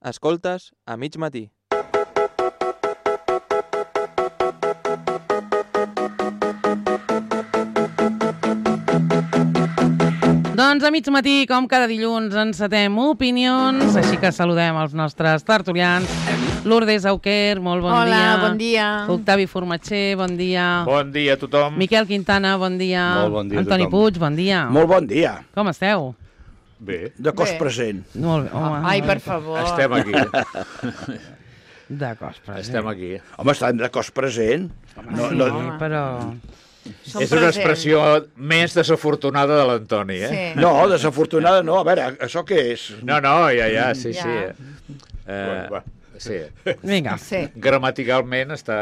Escoltes a mig matí. Doncs a mig matí, com cada dilluns, encetem opinions, així que saludem els nostres tertulians. Lourdes Auquer, molt bon dia. Hola, bon dia. Octavi Formatxer, bon dia. Bon dia a tothom. Miquel Quintana, bon dia. Molt bon dia a Antoni tothom. Puig, bon dia. Molt bon dia. Com esteu? Bé, De cos Bé. present. Molt bé, home. Ai, per favor. estem aquí. De cos present. Estem aquí. Home, estan de cos present. No, Sí, no, però... Som És una presents. expressió més desafortunada de l'Antoni, eh? Sí. no, desafortunada no. A veure, això què és? No, ja, sí, Ja. sí. Va. Sí. Vinga. Sí. Gramaticalment està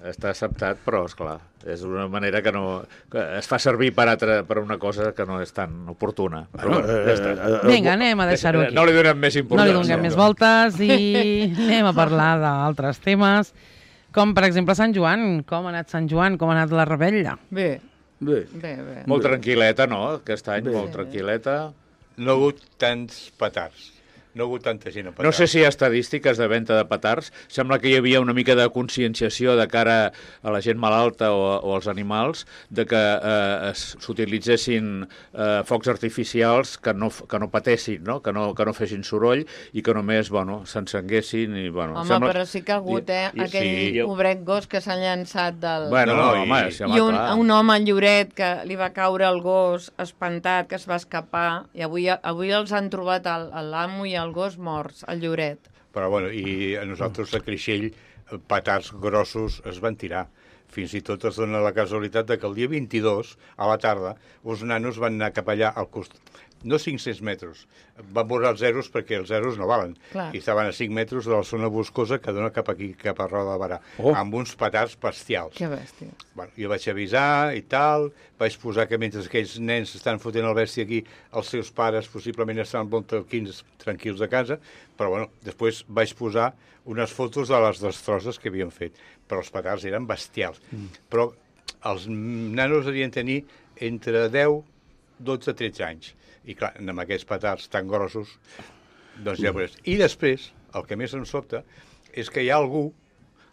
acceptat, però, esclar, és una manera que no... que es fa servir per una cosa que no és tan oportuna. Però, Bueno, ja està. Vinga, anem a deixar-ho aquí. No li donem més No importància. li donem més voltes i anem a parlar d'altres temes, com per exemple Sant Joan. Com ha anat Sant Joan? Com ha anat la rebella? Bé, Bé. bé, bé. Molt tranquil·leta, no? Aquest any, Bé. molt tranquil·leta. No ha hagut tants petards. No ha hagut tanta gent a petards. No sé si hi ha estadístiques de venda de petards. Sembla que hi havia una mica de conscienciació de cara a la gent malalta o als animals de que s'utilitzessin focs artificials que no patessin, no? Que no fessin soroll i que només s'encenguessin. Home, però sí que ha hagut, aquell pobret gos que s'ha llançat del... Bueno, I un home en lloret que li va caure el gos espantat, que es va escapar, i avui els han trobat l'amo i el gos morts, el lloret. Però, bueno, i a nosaltres a Creixell petards grossos es van tirar. Fins i tot es dona la casualitat de que el dia 22, a la tarda, uns nanos van anar cap allà al costat. No 500 metres. Van veure els zeros perquè els zeros no valen. Clar. I estaven a 5 metres de la zona boscosa que dona cap aquí, cap a Roda de Barà, amb uns petards bestials. Que bèstia. Bueno, jo vaig avisar i tal, vaig posar que mentre aquells nens estan fotent el bèstia aquí, els seus pares possiblement estan molt tranquils a casa, però bueno, després vaig posar unes fotos de les destrosses que havien fet, però els petards eren bestials. Però els nanos havien tenir entre 10, 12, 13 anys. I clar, amb aquests petards tan grossos, doncs ja veuràs. I després, el que més em sobta, és que hi ha algú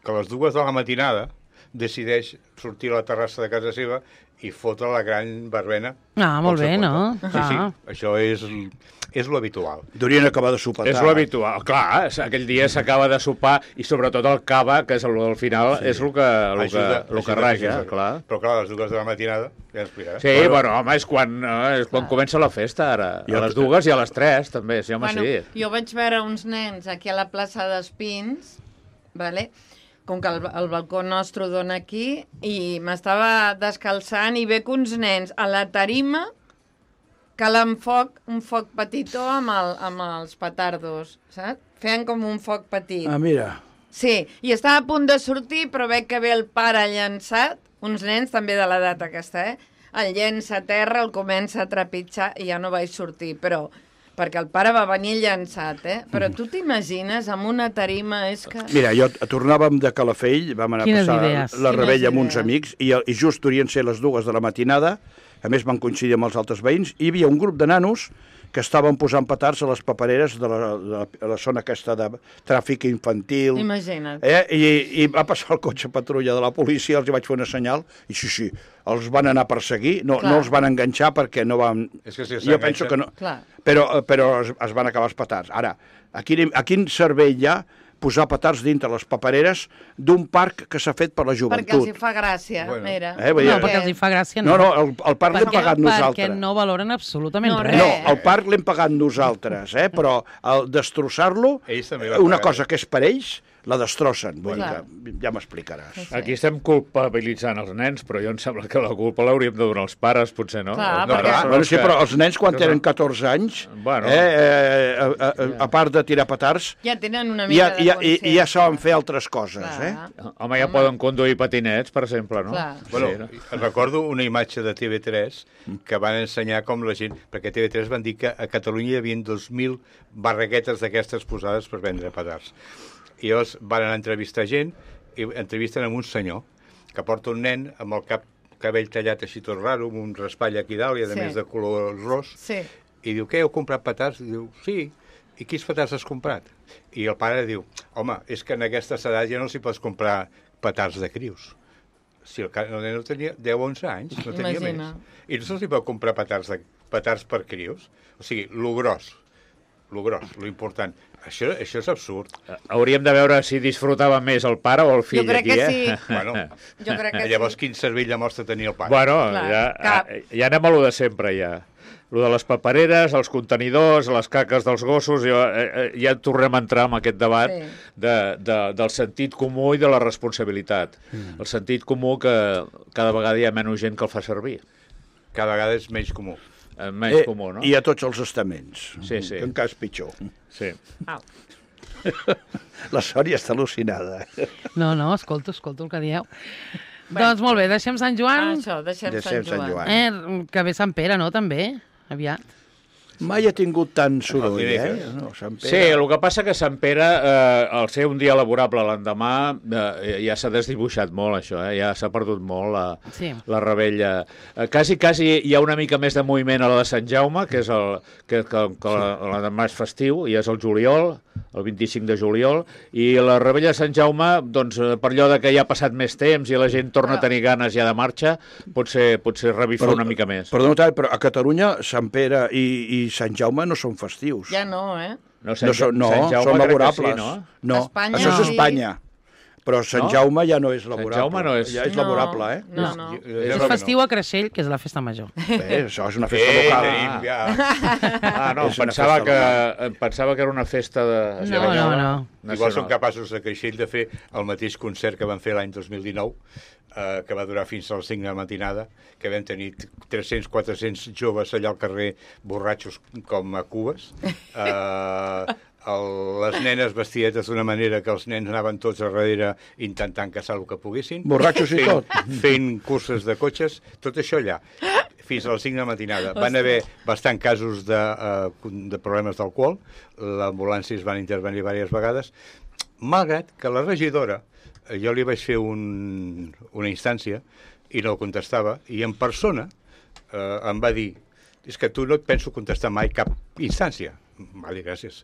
que a les 2 de la matinada decideix sortir a la terrassa de casa seva i fotre la gran verbena. Ah, molt bé, no? Sí, això és lo habitual. Durien acabar de sopar. És lo habitual. Clar, aquell dia s'acaba de sopar i sobretot el cava, que és al final, és el que raja, clar. Però clar, a les 2 de la matinada, ja ens explicaràs. Sí, bueno, home, és quan comença la festa, ara. A les 2 i a les 3, també, sí, home, sí. Jo vaig veure uns nens aquí a la plaça d'Espins, vale? Com que el balcó nostre dona aquí, i m'estava descalçant i veig uns nens a la tarima calant un foc petitó amb els petardos, saps? Feien com un foc petit. Ah, mira. Sí, i estava a punt de sortir, però veig que ve el pare llançat, uns nens també de l'edat aquesta, el llença a terra, el comença a trepitjar i ja no vaig sortir, però... perquè el pare va venir llançat, Però tu t'imagines, amb una tarima és que... Mira, tornàvem de Calafell, vam anar a passar la rebella amb uns amics, i just durien ser les 2 de la matinada, a més van coincidir amb els altres veïns, i hi havia un grup de nanos que estaven posant petards a les papereres de la zona aquesta de tràfic infantil. Imagina't. I va passar el cotxe patrulla de la policia, els hi vaig fer una senyal, i sí, els van anar a perseguir, no els van enganxar perquè no van... És que si jo penso que no. Clar. Però es van acabar els petards. Ara, a quin servei hi ha posar petards dintre les papereres d'un parc que s'ha fet per la joventut? Perquè els hi fa gràcia, mira. No, perquè els hi fa gràcia, no. No, el parc l'hem pagat nosaltres. Perquè no valoren absolutament res. No, el parc l'hem pagat nosaltres, però al destrossar-lo, una cosa que és per ells, la destrossen. Vull dir que ja m'explicaràs. Aquí estem culpabilitzant els nens, però jo em sembla que la culpa l'hauríem de donar els pares, potser, no? Sí, però els nens, quan tenen 14 anys, a part de tirar petards, ja tenen una mica de consciència. I ja saben fer altres coses, Home, ja poden conduir patinets, per exemple, no? Bueno, recordo una imatge de TV3 que van ensenyar com la gent... Perquè TV3 van dir que a Catalunya hi havia 2.000 barraquetes d'aquestes posades per vendre petards. I llavors van anar a entrevistar gent i entrevisten amb un senyor que porta un nen amb el cabell tallat així tot raro, amb un raspall aquí dalt i a més de color ros, i diu, què, heu comprat petards? I diu, sí. i quins petards has comprat? I el pare diu, home, és que en aquesta edat ja no s'hi pots comprar petards de crius. Si el nen no tenia 10 o 11 anys, no tenia Imagina. més. I no se'ls pot comprar petards per crius. O sigui, lo gros, lo important. Això és absurd. Hauríem de veure si disfrutava més el pare o el fill Jo crec aquí, que sí. Bueno, Jo crec que llavors sí. quin cervell de mostra tenia el pare? Bueno, Clar, ja anem a lo de sempre, ja. Lo de les papereres, els contenidors, les caques dels gossos, ja tornem a entrar en aquest debat del sentit comú i de la responsabilitat. El sentit comú que cada vegada hi ha menys gent que el fa servir. Cada vegada és menys comú. Menys comú, no? I a tots els estaments. Sí. Que encara és pitjor. Sí. Au. La Sònia està al·lucinada. No, escolto el que dieu. Doncs molt bé, deixem Sant Joan. Això, deixem Sant Joan. Que ve Sant Pere, no, també? Aviat. Mai ha tingut tant soroll, No, Sant Pere. Sí, el que passa que Sant Pere, al ser un dia laborable l'endemà, ja s'ha desdibuixat molt, això, ja s'ha perdut molt la revetlla. Quasi hi ha una mica més de moviment a la de Sant Jaume, que és l'endemà és festiu, i és el juliol, el 25 de juliol, i la revetlla de Sant Jaume, doncs, per allò de que ja ha passat més temps i la gent torna a tenir ganes ja de marxa, potser revifar una mica més. Perdona, però a Catalunya Sant Pere i Sant Jaume no són festius. Ja no, eh? No, són laborables. Sí, no, Espanya, això és sí. Espanya. Però Sant Jaume ja no és laborable. Sant Jaume no és... Ja és laborable, eh? No. És festiu a Creixell, que és la festa major. Bé, això és una festa local. No, pensava que era una festa de... No. Igual són capaços de Creixell de fer el mateix concert que van fer l'any 2019, que va durar fins a les 5 de la matinada, que vam tenir 300-400 joves allà al carrer, borratxos com a cubes, les nenes vestidetes d'una manera que els nens anaven tots a darrere intentant caçar el que poguessin. Borratxos i tot. Fent curses de cotxes, tot això allà, fins a les 5 de la matinada. Van haver bastant casos de problemes d'alcohol, l'ambulància es van intervenir diverses vegades, malgrat que la regidora, jo li vaig fer una instància i no contestava, i en persona em va dir, és que tu no et penso contestar mai cap instància. Vale, gràcies.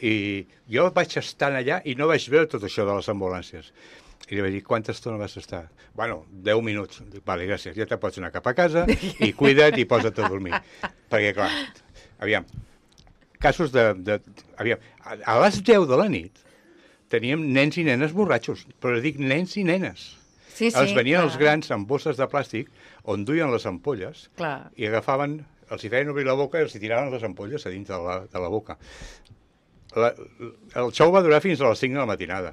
I jo vaig estar allà i no vaig veure tot això de les ambulàncies. I li vaig dir, quanta estona vas estar? Bueno, 10 minuts. Dic, vale, gràcies, ja te pots anar cap a casa i cuida't i posa't a dormir. Perquè, clar, aviam, casos aviam, a les 10 de la nit teníem nens i nenes borratxos, però dic nens i nenes. Sí, els venien els grans amb bosses de plàstic on duien les ampolles i agafaven, els hi feien obrir la boca i els hi tiraven les ampolles a dintre de la boca. El xou va durar fins a les 5 de la matinada.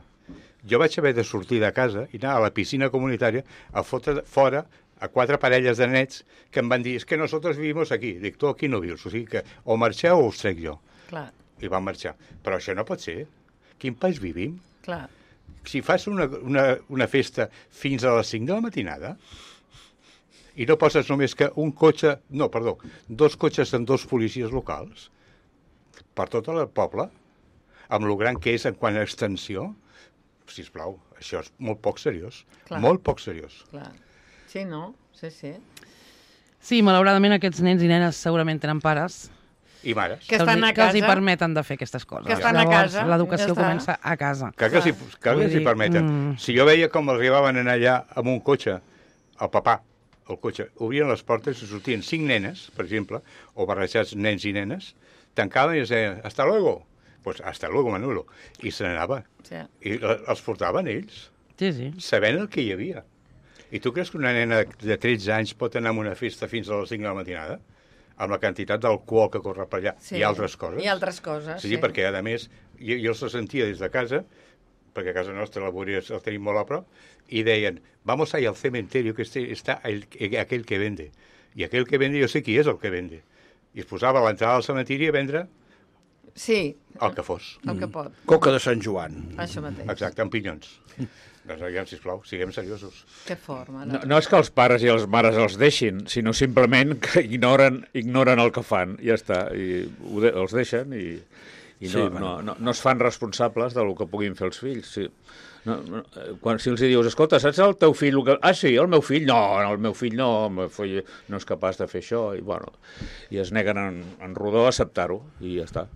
Jo vaig haver de sortir de casa i anar a la piscina comunitària a fotre fora a 4 parelles de nets que em van dir, és que nosaltres vivimos aquí. Dic, tu aquí no vius, o sigui que o marxeu o us trec jo. Clar. I van marxar. Però això no pot ser. Quin país vivim? Clar. Si fas una festa fins a les 5 de la matinada i no poses només que un cotxe... No, perdó, 2 cotxes amb 2 policies locals per tot el poble, amb lo gran que és en quant a extensió, sisplau, això és molt poc seriós. Clar. Molt poc seriós. Clar. Sí, no? Sí. Sí, malauradament aquests nens i nenes segurament tenen pares I mares. Que estan a que els hi casa. permeten de fer aquestes coses. Que estan a casa. L'educació Ja està. comença a casa. Clar que els hi permeten. Si jo veia com arribaven allà amb un cotxe, el papà, el cotxe, obrien les portes i sortien 5 nenes, per exemple, o barrejats nens i nenes, tancaven i es deien, hasta luego. Pues hasta luego, Manolo. I se n'anava. Sí. I els portaven ells, Sí. sabent el que hi havia. I tu creus que una nena de 13 anys pot anar a una festa fins a les 5 de la matinada? Amb la quantitat d'alcohol que corre per allà i altres coses. I altres coses, sí. Perquè, a més, jo els sentia des de casa, perquè a casa nostra la Boria el tenim molt a prop, i deien, vamos ahí al cementerio, que está aquell que vende. I aquell que vende, jo sé qui és el que vende. I es posava a l'entrada del cementiri a vendre el que fos. El que pot. Coca de Sant Joan. Això mateix. Exacte, amb pinyons. Doncs, aviam, sisplau, siguem seriosos. Que forma. No és que els pares i les mares els deixin, sinó simplement que ignoren el que fan, ja està, i els deixen i no es fan responsables del que puguin fer els fills. Sí. Si els dius, escolta, saps el teu fill? Sí, el meu fill? No, el meu fill no és capaç de fer això, i es neguen en rodó a acceptar-ho, i ja està.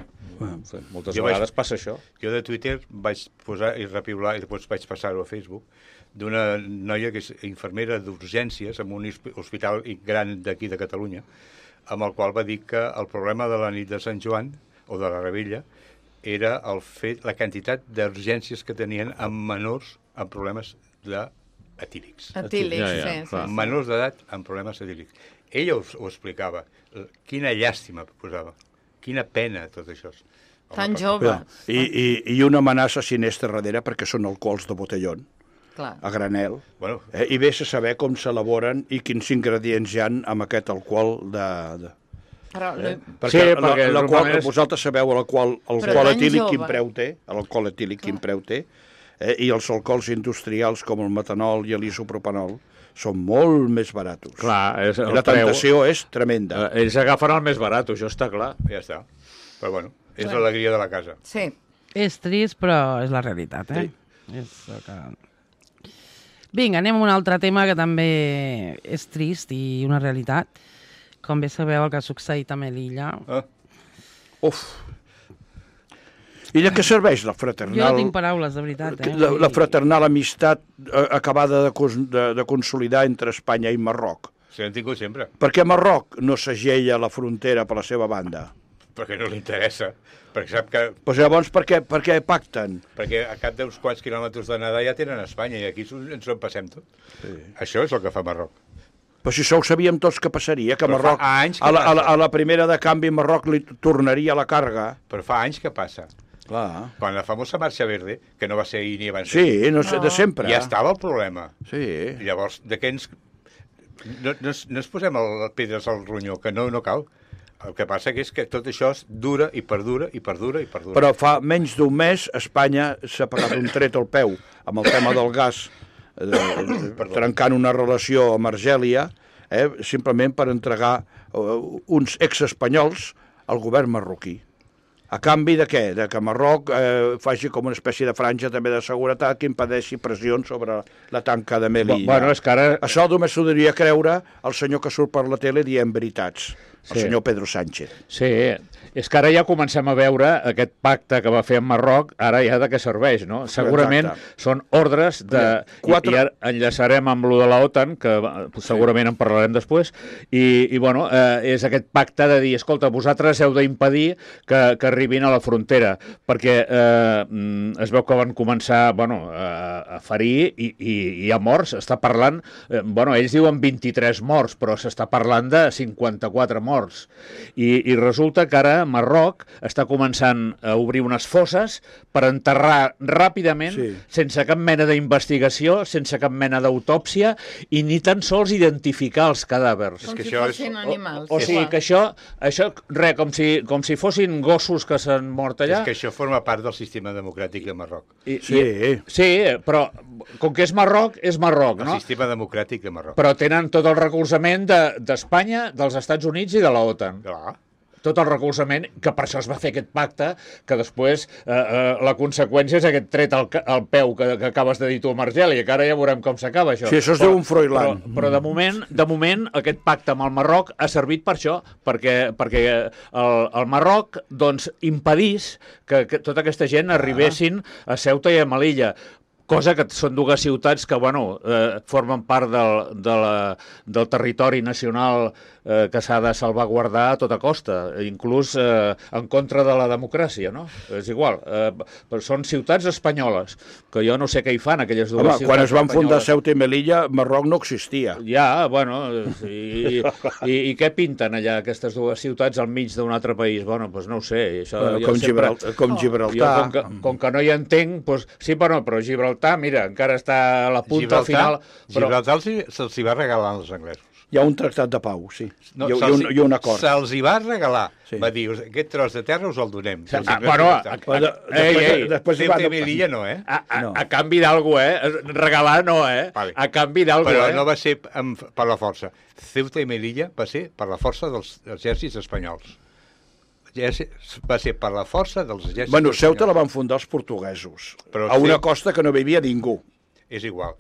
Moltes vegades passa això. Jo de Twitter vaig posar i repiular, i després vaig passar-ho a Facebook, d'una noia que és infermera d'urgències en un hospital gran d'aquí de Catalunya, amb el qual va dir que el problema de la nit de Sant Joan, o de la Rebella, era la quantitat d'urgències que tenien amb menors amb problemes etílics. Etílics, sí. Menors d'edat amb problemes etílics. Ella ho explicava. Quina llàstima posava. Quina pena, tot això. Tan jove. I una amenaça sinistra darrere, perquè són alcohols de botellón. Clar. A granel, bueno. I vés a saber com s'elaboren i quins ingredients hi ha amb aquest alcohol Però, perquè vosaltres sabeu l'alcohol etílic quin preu té, l'alcohol etílic quin preu té, i els alcohols industrials com el metanol i l'isopropànol són molt més baratos. Clar, la tentació és tremenda. Ells agafen el més barat, això està clar. Ja està. Però bueno, és l'alegria de la casa. Sí. És trist, però és la realitat, eh? Sí. Vinga, anem a un altre tema que també és trist i una realitat. Com bé sabeu, el que ha succeït a Melilla. Uf! I de què serveix la fraternal... Jo no tinc paraules, de veritat. La fraternal amistat acabada de consolidar entre Espanya i Marroc. Sí, l'han tingut sempre. Per què Marroc no s'agella la frontera per la seva banda? Perquè no li interessa. Perquè sap que... Pues llavors, per què pacten? Perquè a cap d'uns quants quilòmetres de nedar ja tenen Espanya i aquí ens ho passem tot. Sí. Això és el que fa Marroc. Però si això ho sabíem tots que passaria, que Marroc, a la primera de canvi, Marroc li tornaria la càrrega. Però fa anys que passa. Clar. Quan la famosa Marxa Verde, que no va ser ahir ni abans... Sí, de sempre. Ja estava el problema. Sí. Llavors, de què ens... No ens posem pedres al ronyó, que no cal. El que passa és que tot això dura i perdura i perdura i perdura. Però fa menys d'un mes Espanya s'ha pagat un tret al peu amb el tema del gas, trencant una relació amb Argèlia, simplement per entregar uns exespanyols al govern marroquí. A canvi de què? De que Marroc faci com una espècie de franja també de seguretat que impedeixi pressions sobre la tanca de Melilla. Bueno, és que ara... Això només s'ho diria creure el senyor que surt per la tele dient veritats, el senyor Pedro Sánchez. Sí, és que ara ja comencem a veure aquest pacte que va fer amb Marroc, ara ja de què serveix, no? Segurament són ordres de... I ara enllaçarem amb lo de la OTAN, que segurament en parlarem després, i bueno, és aquest pacte de dir, escolta, vosaltres heu d'impedir que arribin a la frontera, perquè es veu que van començar a ferir i hi ha morts, està parlant, ells diuen 23 morts, però s'està parlant de 54 morts, i resulta que ara Marroc està començant a obrir unes fosses per enterrar ràpidament, sense cap mena d'investigació, sense cap mena d'autòpsia, i ni tan sols identificar els cadàvers. Com si fossin animals. O sigui que això com si fossin gossos que s'han mort allà. És que això forma part del sistema democràtic de Marroc. Sí, però com que és Marroc, no? El sistema democràtic de Marroc. Però tenen tot el recolzament d'Espanya, dels Estats Units i de la OTAN. Clar. Tot el recolzament, que per això es va fer aquest pacte, que després la conseqüència és aquest tret al peu que acabes de dir tu amb Argèlia, que ara ja veurem com s'acaba això. Sí, això es diu un Froilán. Però de moment aquest pacte amb el Marroc ha servit per això, perquè el Marroc impedís que tota aquesta gent arribessin a Ceuta i a Melilla, cosa que són dues ciutats que formen part del territori nacional que s'ha de salvaguardar a tota costa, inclús en contra de la democràcia, no? És igual, però són ciutats espanyoles, que jo no sé què hi fan aquelles dues ciutats espanyoles. Quan es van fundar Ceuta i Melilla, Marroc no existia. Ja, i què pinten allà aquestes dues ciutats al mig d'un altre país? Doncs no ho sé. Com Gibraltar. Com que no hi entenc, sí, però Gibraltar, mira, encara està a la punta al final. Gibraltar se'ls hi va regalar als anglesos. Hi ha un tractat de pau, sí. I un acord. Se'ls hi va regalar. Va dir, aquest tros de terra us el donem. Després Ceuta i Melilla no, a canvi d'algú, regalar no, a canvi d'algú, Però no va ser per la força. Ceuta i Melilla va ser per la força dels exèrcits espanyols. Va ser per la força dels exèrcits espanyols. Ceuta la van fundar els portuguesos, a una costa que no vivia ningú. És igual.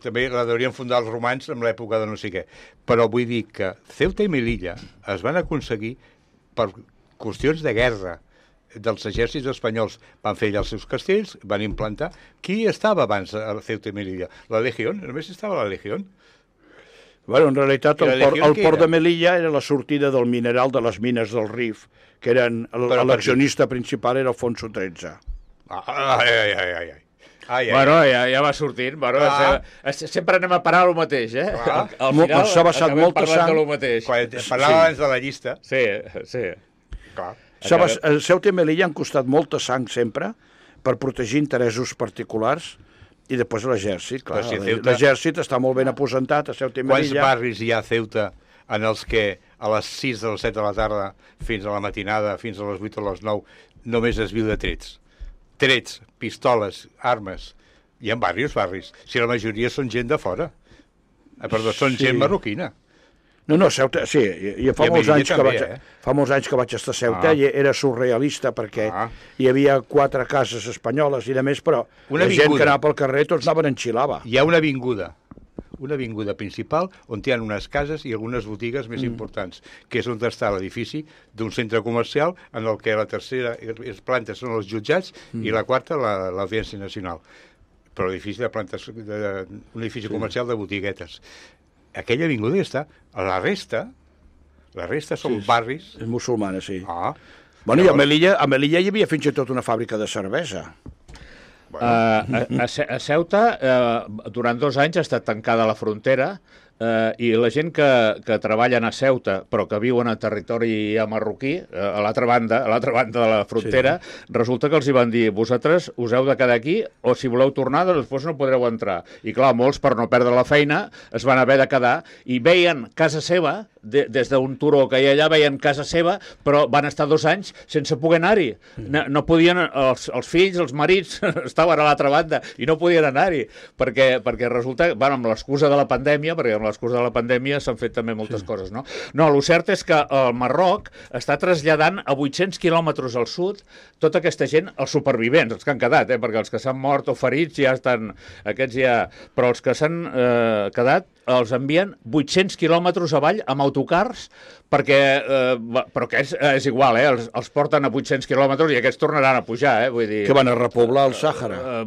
També la deurien fundar els romans en l'època de no sé què. Però vull dir que Ceuta i Melilla es van aconseguir per qüestions de guerra, dels exèrcits espanyols van fer allà els seus castells, van implantar. Qui estava abans a Ceuta i Melilla? La Legión? Només estava la Legión? Bueno, en realitat, el port de Melilla era la sortida del mineral de les mines del Rif, que eren... L'accionista principal era Alfonso XIII. Bueno, ja va sortint. Bueno, sempre anem a parar al mateix, eh? Al final s'ha vessat molta sang. Quan parlava abans de la llista. Sí. Clar. Ceuta i Melilla han costat molta sang sempre per protegir interessos particulars i després l'exèrcit. Clar, l'exèrcit està molt ben aposentat a Ceuta i Melilla. Quants barris hi ha a Ceuta en els que a les 6 o les 7 de la tarda fins a la matinada, fins a les 8 o les 9, només es viu de trets? Trets, pistoles, armes. Hi ha barris. Si la majoria són gent de fora. Perdó, són gent marroquina. No, Ceuta, sí, i fa molts anys que vaig estar a Ceuta i era surrealista perquè hi havia 4 cases espanyoles i de més, però la gent que anava pel carrer tots anaven en xilava. Hi ha una avinguda principal on hi ha unes cases i algunes botigues més importants, que és on està l'edifici d'un centre comercial en el que la tercera planta són els jutjats i la quarta l'Audiència Nacional. Però l'edifici un edifici comercial de botiguetes. Aquella avinguda ja està. La resta són barris... És musulmana, sí. Bueno, i a Melilla hi havia fins i tot una fàbrica de cervesa. A Ceuta, durant 2 anys ha estat tancada la frontera i la gent que treballen a Ceuta però que viuen a territori marroquí, a l'altra banda de la frontera, resulta que els hi van dir: vosaltres us heu de quedar aquí o si voleu tornar després no podreu entrar. I clar, molts per no perdre la feina es van haver de quedar i veien casa seva, des d'un turó que hi ha allà, veien casa seva, però van estar 2 anys sense poder anar-hi. No podien, els fills, els marits estaven a l'altra banda i no podien anar-hi perquè resulta, amb l'excusa de la pandèmia, perquè amb l'excusa de la pandèmia s'han fet també moltes coses, no? No, el cert és que el Marroc està traslladant a 800 quilòmetres al sud tota aquesta gent, els supervivents, els que han quedat, perquè els que s'han mort o ferits ja estan, aquests ja... Però els que s'han quedat els envien 800 quilòmetres avall amb autocars perquè, però que és igual, els porten a 800 quilòmetres i aquests tornaran a pujar, vull dir... Que van a repoblar el Sàhara.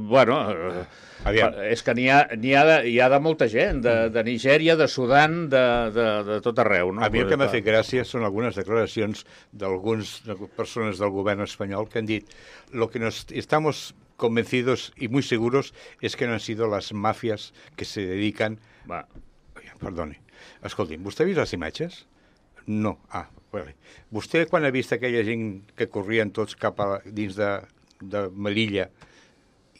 És que n'hi ha de molta gent, de Nigèria, de Sudan, de tot arreu. No? A mi el que m'ha fet gràcia són algunes declaracions d'algunes persones del govern espanyol que han dit: lo que nos estamos convencidos y muy seguros es que no han sido las mafias que se dedican... Perdoni. Escolti'm, vostè ha vist les imatges? No. Vale. Vostè, quan ha vist aquella gent que corrien tots cap a dins de Melilla,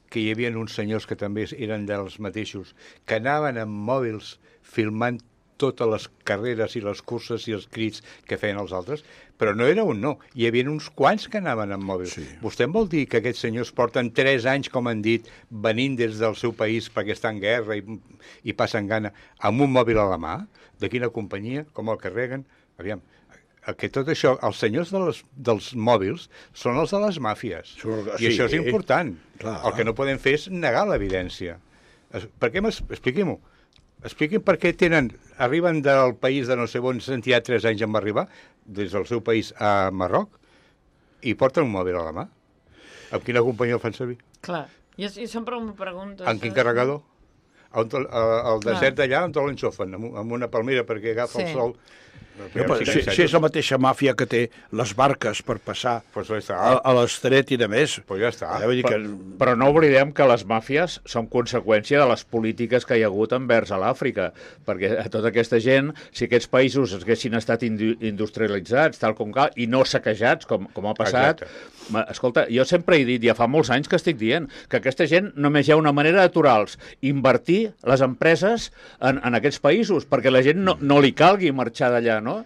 que hi havia uns senyors que també eren dels mateixos, que anaven amb mòbils filmant totes les carreres i les curses i els crits que feien els altres, però no era un no. Hi havia uns quants que anaven amb mòbils. Sí. Vostè em vol dir que aquests senyors porten 3 anys, com han dit, venint des del seu país perquè està en guerra i passen gana, amb un mòbil a la mà? De quina companyia? Com el carreguen? Aviam, que tot això, els senyors dels mòbils són els de les màfies. I això és important. Clar. El que no podem fer és negar l'evidència. Expliquem-ho. Expliquin per què arriben del país de no sé on, s'han tirat 3 anys en arribar, des del seu país a Marroc, i porten un mòbil a la mà. Amb quina companyia el fan servir? Clar, jo sempre m'ho pregunto. En quin carregador? Al desert d'allà on l'enxofen, amb una palmera perquè agafa el sol. Si és la mateixa màfia que té les barques per passar a l'estret i de més. Però no oblidem que les màfies són conseqüència de les polítiques que hi ha hagut envers a l'Àfrica, perquè a tota aquesta gent, si aquests països haguessin estat industrialitzats, tal com cal, i no saquejats, com ha passat... Escolta, jo sempre he dit, ja fa molts anys que estic dient, que aquesta gent només hi ha una manera d'aturar-los, invertir les empreses en aquests països, perquè la gent no li calgui marxar d'allà, no?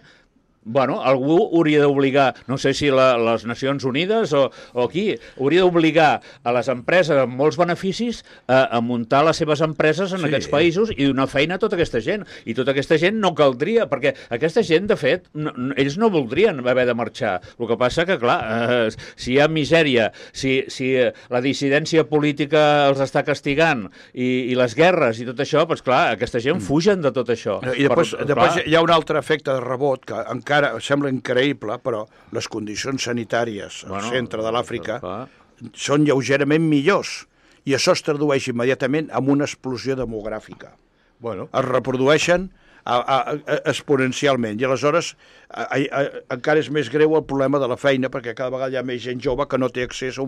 Bueno, algú hauria d'obligar, no sé si les Nacions Unides o qui, hauria d'obligar a les empreses amb molts beneficis a muntar les seves empreses en aquests països i donar feina a tota aquesta gent. I tota aquesta gent no caldria, perquè aquesta gent, de fet, ells no voldrien haver de marxar. El que passa que, clar, si hi ha misèria, si la dissidència política els està castigant i les guerres i tot això, doncs clar, aquesta gent fugen de tot això. I després hi ha un altre efecte de rebot, que encara encara sembla increïble, però les condicions sanitàries al centre de l'Àfrica són lleugerament millors, i això es tradueix immediatament en una explosió demogràfica. Es reprodueixen exponencialment, i aleshores encara és més greu el problema de la feina, perquè cada vegada hi ha més gent jove que no té accés a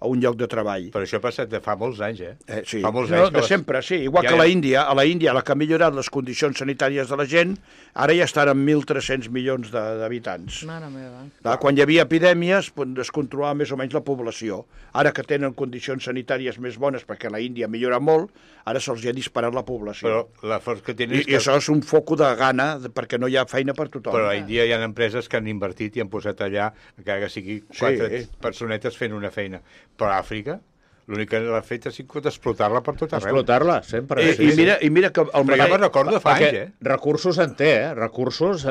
un lloc de treball. Però això ha passat de fa molts anys, Sí, fa molts anys de sempre, sí. Igual que a la Índia, la que ha millorat les condicions sanitàries de la gent, ara ja estan en 1.300 milions d'habitants. Mare meva. Quan hi havia epidèmies, es controlava més o menys la població. Ara que tenen condicions sanitàries més bones, perquè la Índia ha millorat molt, ara se'ls ha disparat la població. Però la força que tenen I això és un foc de gana, perquè no hi ha feina per tothom. Però a l'Índia hi ha empreses que han invertit i han posat allà, encara que sigui 4 personetes fent una feina. Però a Àfrica, l'únic que l'ha fet ha sigut explotar-la per tot arreu. Explotar-la, sempre. I mira que... Però ja me'n recordo de fa anys, Recursos en té, Recursos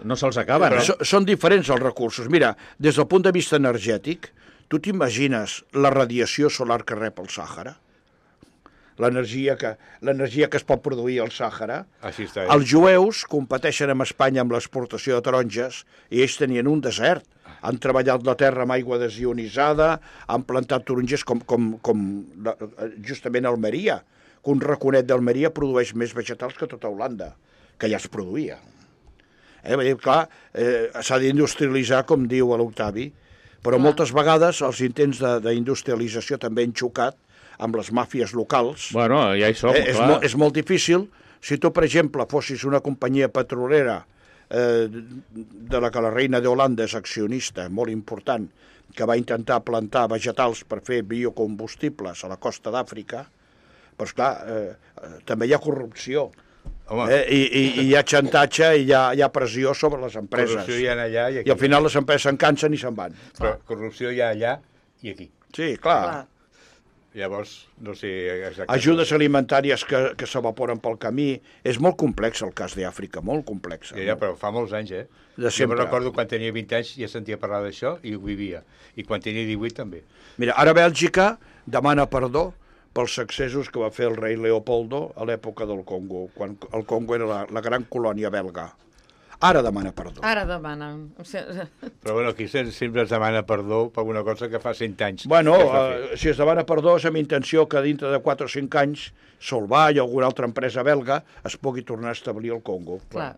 no se'ls acaben. Són diferents els recursos. Mira, des del punt de vista energètic, tu t'imagines la radiació solar que rep el Sàhara? L'energia que es pot produir al Sàhara. Els jueus competeixen amb Espanya amb l'exportació de taronges i ells tenien un desert. Han treballat la terra amb aigua desionitzada, han plantat taronges com justament Almeria, que un raconet d'Almeria produeix més vegetals que tota Holanda, que ja es produïa. Clar, s'ha d'industrialitzar, com diu l'Octavi, però moltes vegades els intents d'industrialització també han xocat amb les màfies locals. Bueno, ja hi som, clar. És molt difícil. Si tu, per exemple, fossis una companyia petrolera de la que la reina d'Holanda és accionista, molt important, que va intentar plantar vegetals per fer biocombustibles a la costa d'Àfrica, però esclar, també hi ha corrupció. I hi ha xantatge i hi ha pressió sobre les empreses. Corrupció hi ha allà i aquí. I al final les empreses se'n cansen i se'n van. Però corrupció hi ha allà i aquí. Sí, clar. Llavors, no sé exactament. Ajudes alimentàries que s'evaporen pel camí. És molt complex el cas d'Àfrica, molt complex. Ja, però fa molts anys, De sempre. Jo recordo quan tenia 20 anys ja sentia parlar d'això i ho vivia. I quan tenia 18 també. Mira, ara Bèlgica demana perdó pels excessos que va fer el rei Leopoldo a l'època del Congo, quan el Congo era la gran colònia belga. Ara demana perdó. Ara demana. Però bueno, aquí sempre es demana perdó per una cosa que fa 100 anys. Bueno, si es demana perdó és amb intenció que dintre de 4 o 5 anys Solvay o alguna altra empresa belga es pugui tornar a establir al Congo. Clar.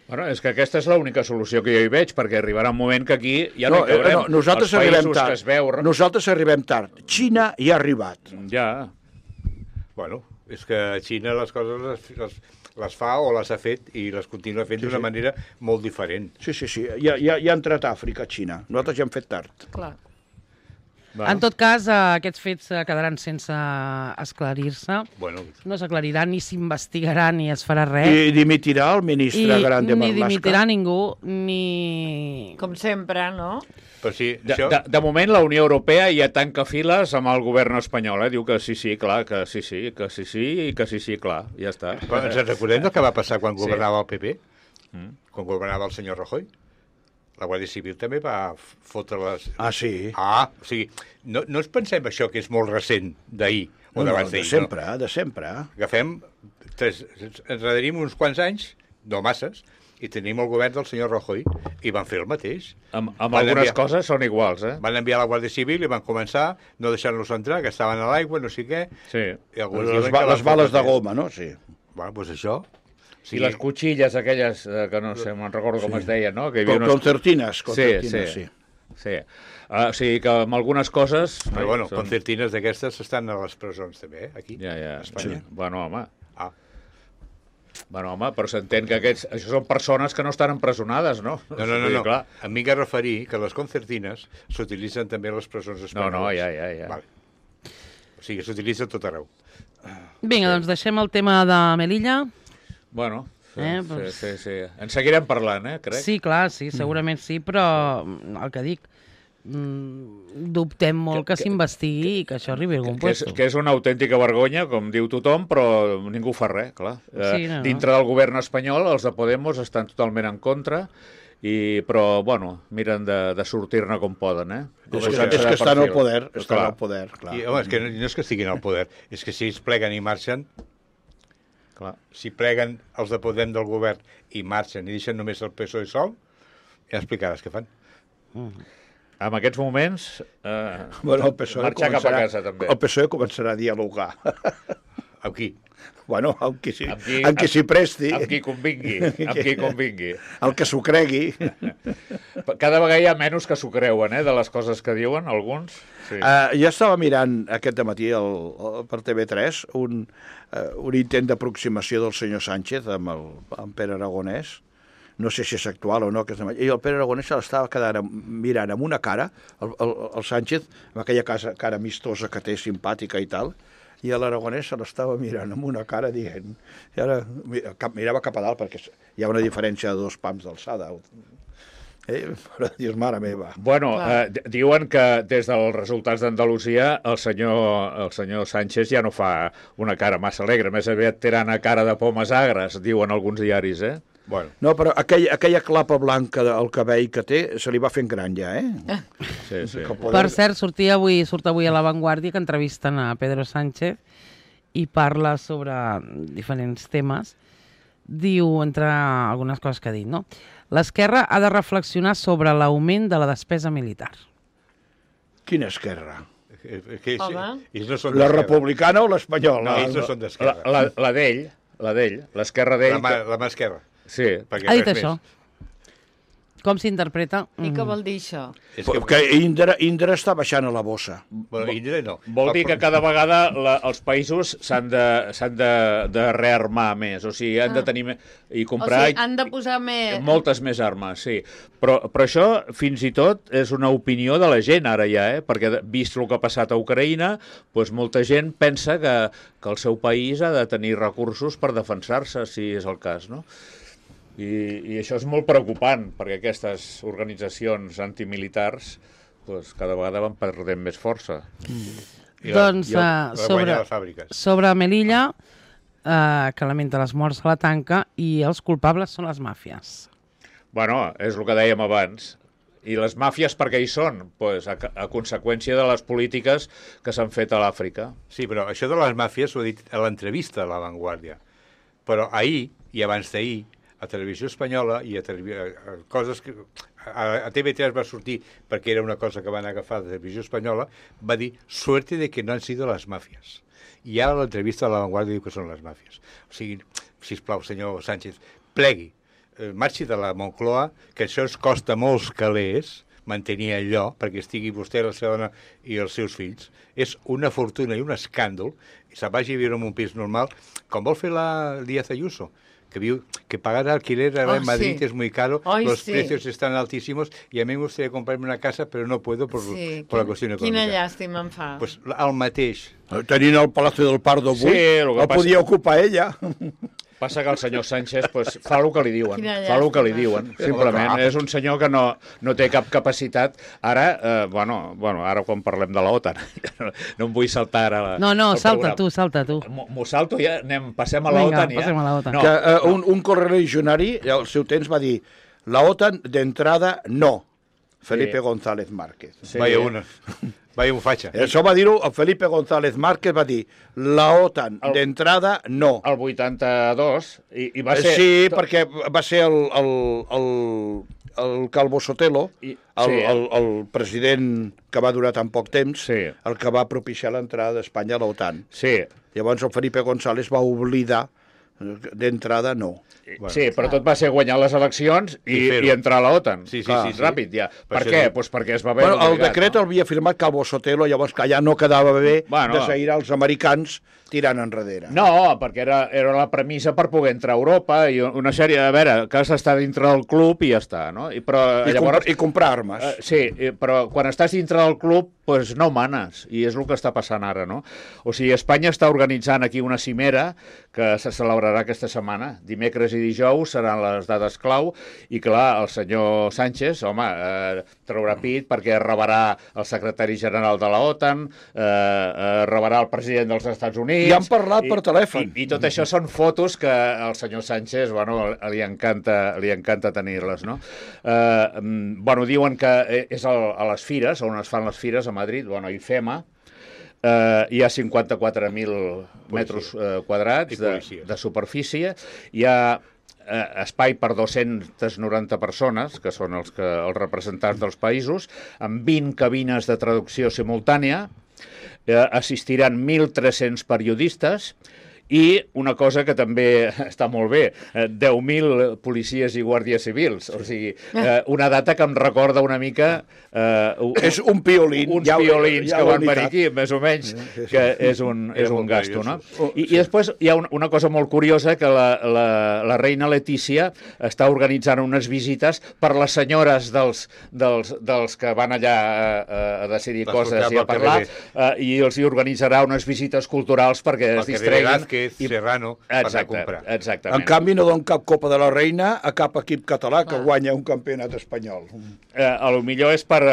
Bueno, és que aquesta és l'única solució que jo hi veig, perquè arribarà un moment que aquí ja no hi caurem. Nosaltres arribem tard. Nosaltres arribem tard. Xina ja ha arribat. Ja. Bueno, és que a Xina les coses les fa o les ha fet i les continua fent d'una manera molt diferent. Sí. Ja ha entrat a Àfrica, a Xina. Nosaltres ja hem fet tard. Clar. En tot cas, aquests fets quedaran sense esclarir-se. No s'aclariran, ni s'investigarà, ni es farà res. I dimitirà el ministre Grande Marlaska. Ni dimitirà ningú, ni... Com sempre, no? Però sí, de moment la Unió Europea ja tanca files amb el govern espanyol. Diu que sí, clar, que sí, i que sí, clar, ja està. Ens recordem del que va passar quan governava el PP? Quan governava el senyor Rajoy? La Guàrdia Civil també va fotre les... Sí? O sigui, no ens pensem això que és molt recent d'ahir o d'abans d'ahir. De sempre. Agafem, ens enredarim uns quants anys, no masses, i tenim el govern del senyor Rajoy i van fer el mateix. Amb algunes coses són iguals, Van enviar la Guàrdia Civil i van començar no deixar-los entrar, que estaven a l'aigua, no sé què. Sí. Les bales de goma, no? Sí. Bueno, doncs això... I les cuchilles aquelles, que no sé, me'n recordo com es deien, no? Concertines, sí. O sigui que amb algunes coses... Però bueno, concertines d'aquestes estan a les presons també, aquí, a Espanya. Bueno, home. Bueno, home, però s'entén que això són persones que no estan empresonades, no? No. Em vinc a referir que les concertines s'utilitzen també a les presons espanyoles. No, ja. Vale. O sigui, s'utilitza tot arreu. Vinga, doncs deixem el tema de Melilla. Bueno, sí. En seguirem parlant, crec. Sí, clar, sí, segurament sí, però el que dic, dubtem molt que s'investigui i que això arribi a algun lloc. Que és una autèntica vergonya, com diu tothom, però ningú fa res, clar. Dintre del govern espanyol, els de Podemos estan totalment en contra, però, bueno, miren de sortir-ne com poden, És que estan al poder, clar. I, home, és que no és que estiguin al poder, és que si ells pleguen i marxen... Clar. Si pleguen els de Podem del govern i marxen i deixen només el PSOE sol, ja explicaràs què fan. En aquests moments, Bueno, el PSOE marxar cap a casa, també. El PSOE començarà a dialogar. Amb qui? Bueno, amb qui s'hi presti. Amb qui convingui. Amb qui convingui. El que s'ho cregui. Cada vegada hi ha menys que s'ho creuen, de les coses que diuen, alguns. Sí. Jo estava mirant aquest dematí per TV3 un intent d'aproximació del senyor Sánchez amb Pere Aragonès. No sé si és actual o no. I el Pere Aragonès se l'estava quedant mirant amb una cara, el Sánchez, amb aquella cara amistosa que té, simpàtica i tal, i l'Aragonès se l'estava mirant amb una cara dient... I ara mirava cap a dalt perquè hi ha una diferència de 2 pams d'alçada. Però dius, mare meva. Bueno, diuen que des dels resultats d'Andalusia el senyor Sánchez ja no fa una cara massa alegre, més aviat té una cara de pomes agres, diuen alguns diaris, Bueno. No, però aquella clapa blanca del cabell que té se li va fent gran ja, Sí, sí. Per cert, surt avui a La Vanguardia que entrevisten a Pedro Sánchez i parla sobre diferents temes. Diu, entre algunes coses que ha dit, no? L'esquerra ha de reflexionar sobre l'augment de la despesa militar. Quina esquerra? Ells no són La d'esquerra. republicana o l'espanyola? No, ells no són d'esquerra. La d'ell, l'esquerra d'ell... La mà esquerra. Sí. Ha dit això. Com s'interpreta? I què vol dir això? És Que Indra està baixant a la bossa. Bueno, Indra no. Vol dir que cada vegada els països s'han de rearmar més, o sigui, han de tenir i comprar... O sigui, han de posar més... Moltes més armes, sí. Però això, fins i tot, és una opinió de la gent ara ja, perquè vist el que ha passat a Ucraïna, doncs molta gent pensa que el seu país ha de tenir recursos per defensar-se, si és el cas, no? I això és molt preocupant, perquè aquestes organitzacions antimilitars doncs, cada vegada van perdent més força. Doncs sobre Melilla, que lamenta les morts a la tanca, i els culpables són les màfies. Bueno, és el que dèiem abans. I les màfies per què hi són? Pues a conseqüència de les polítiques que s'han fet a l'Àfrica. Sí, però això de les màfies ho he dit a l'entrevista a La Vanguardia. Però ahir, i abans d'ahir, a Televisió Espanyola i a coses que... A TV3 va sortir, perquè era una cosa que van agafar de Televisió Espanyola, va dir, suerte de que no han sido las mafias. I ara l'entrevista a La Vanguardia diu que són les màfies. O sigui, sisplau, senyor Sánchez, plegui, marxi de la Moncloa, que això es costa molts calés, mantenir allò, perquè estigui vostè, la seva dona i els seus fills. És una fortuna i un escàndol, i se'n vagi a viure en un pis normal, com vol fer la Díaz Ayuso, que pagar alquiler ahora en Madrid es muy caro, los precios están altísimos y a mí me gustaría comprarme una casa, pero no puedo por la cuestión econòmica. Quina llàstima em fa. Pues el mateix. Tenint el Palacio del Pardo avui, el podia ocupar ella. Passa que el senyor Sánchez fa el que li diuen. Fa el que li diuen. Simplement és un senyor que no té cap capacitat. Ara, ara quan parlem de l'OTAN, no em vull saltar ara... No, salta tu. M'ho salto ja? Passem a l'OTAN ja? Passem a l'OTAN. Un correligionari al seu temps va dir l'OTAN d'entrada no. Felipe González Márquez. Vaya un fatxa. Això va dir-ho, Felipe González Márquez va dir la OTAN d'entrada no. El 82 i va ser... Sí, perquè va ser el Calvo Sotelo, el president que va durar tan poc temps, el que va propiciar l'entrada d'Espanya a l'OTAN. Sí. Llavors el Felipe González va oblidar d'entrada no. Sí, però tot va ser guanyar les eleccions i entrar a l'OTAN. Sí, ràpid, ja. Per què? Pues perquè es va haver obligat. El decret el havia firmat Calvo Sotelo, llavors que ja no quedava bé desaïrar els americans tirant enrere. No, perquè era la premissa per poder entrar a Europa i una sèrie, a veure, que has d'estar dintre del club i ja està, no? I comprar armes. Sí, però quan estàs dintre del club, doncs no manes, i és el que està passant ara, no? O sigui, Espanya està organitzant aquí una cimera que se celebrarà aquesta setmana. Dimecres i dijous seran les dades clau i, clar, el senyor Sánchez, home, traurà pit perquè rebarà el secretari general de la OTAN, rebarà el president dels Estats Units... I han parlat per telèfon. I tot això són fotos que al senyor Sánchez, li encanta tenir-les, no? Diuen que és a les fires, on es fan les fires a Madrid, IFEMA, hi ha 54.000 metres quadrats de superfície, hi ha espai per 290 persones, que són els representants dels països, amb 20 cabines de traducció simultània, assistiran 1.300 periodistes, i una cosa que també està molt bé, 10.000 policies i guàrdies civils. O sigui, una data que em recorda una mica... és un piolín. Uns piolins que van venir aquí, més o menys, que és un gasto, no? I després hi ha una cosa molt curiosa, que la reina Letícia està organitzant unes visites per les senyores dels que van allà a decidir coses i a parlar, i els hi organitzarà unes visites culturals perquè es distreguin. Serrano per anar a comprar. Exactament. En canvi, no donen cap Copa de la Reina a cap equip català que guanya un campionat espanyol. A lo millor és per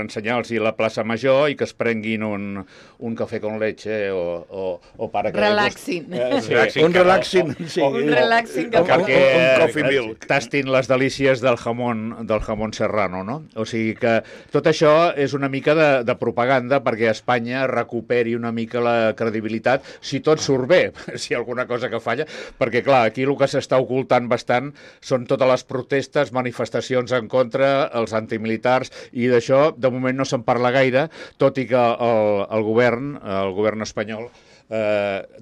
ensenyar-los la plaça Major i que es prenguin un cafè con leche o para que... Relaxin. Un relaxin. Un relaxin. Un coffee milk. Tastin les delícies del jamón serrano, no? O sigui que tot això és una mica de propaganda perquè Espanya recuperi una mica la credibilitat, si tot surt bé, si hi ha alguna cosa que falla, perquè clar, aquí el que s'està ocultant bastant són totes les protestes, manifestacions en contra, els antimilitars, i d'això de moment no se'n parla gaire, tot i que el govern espanyol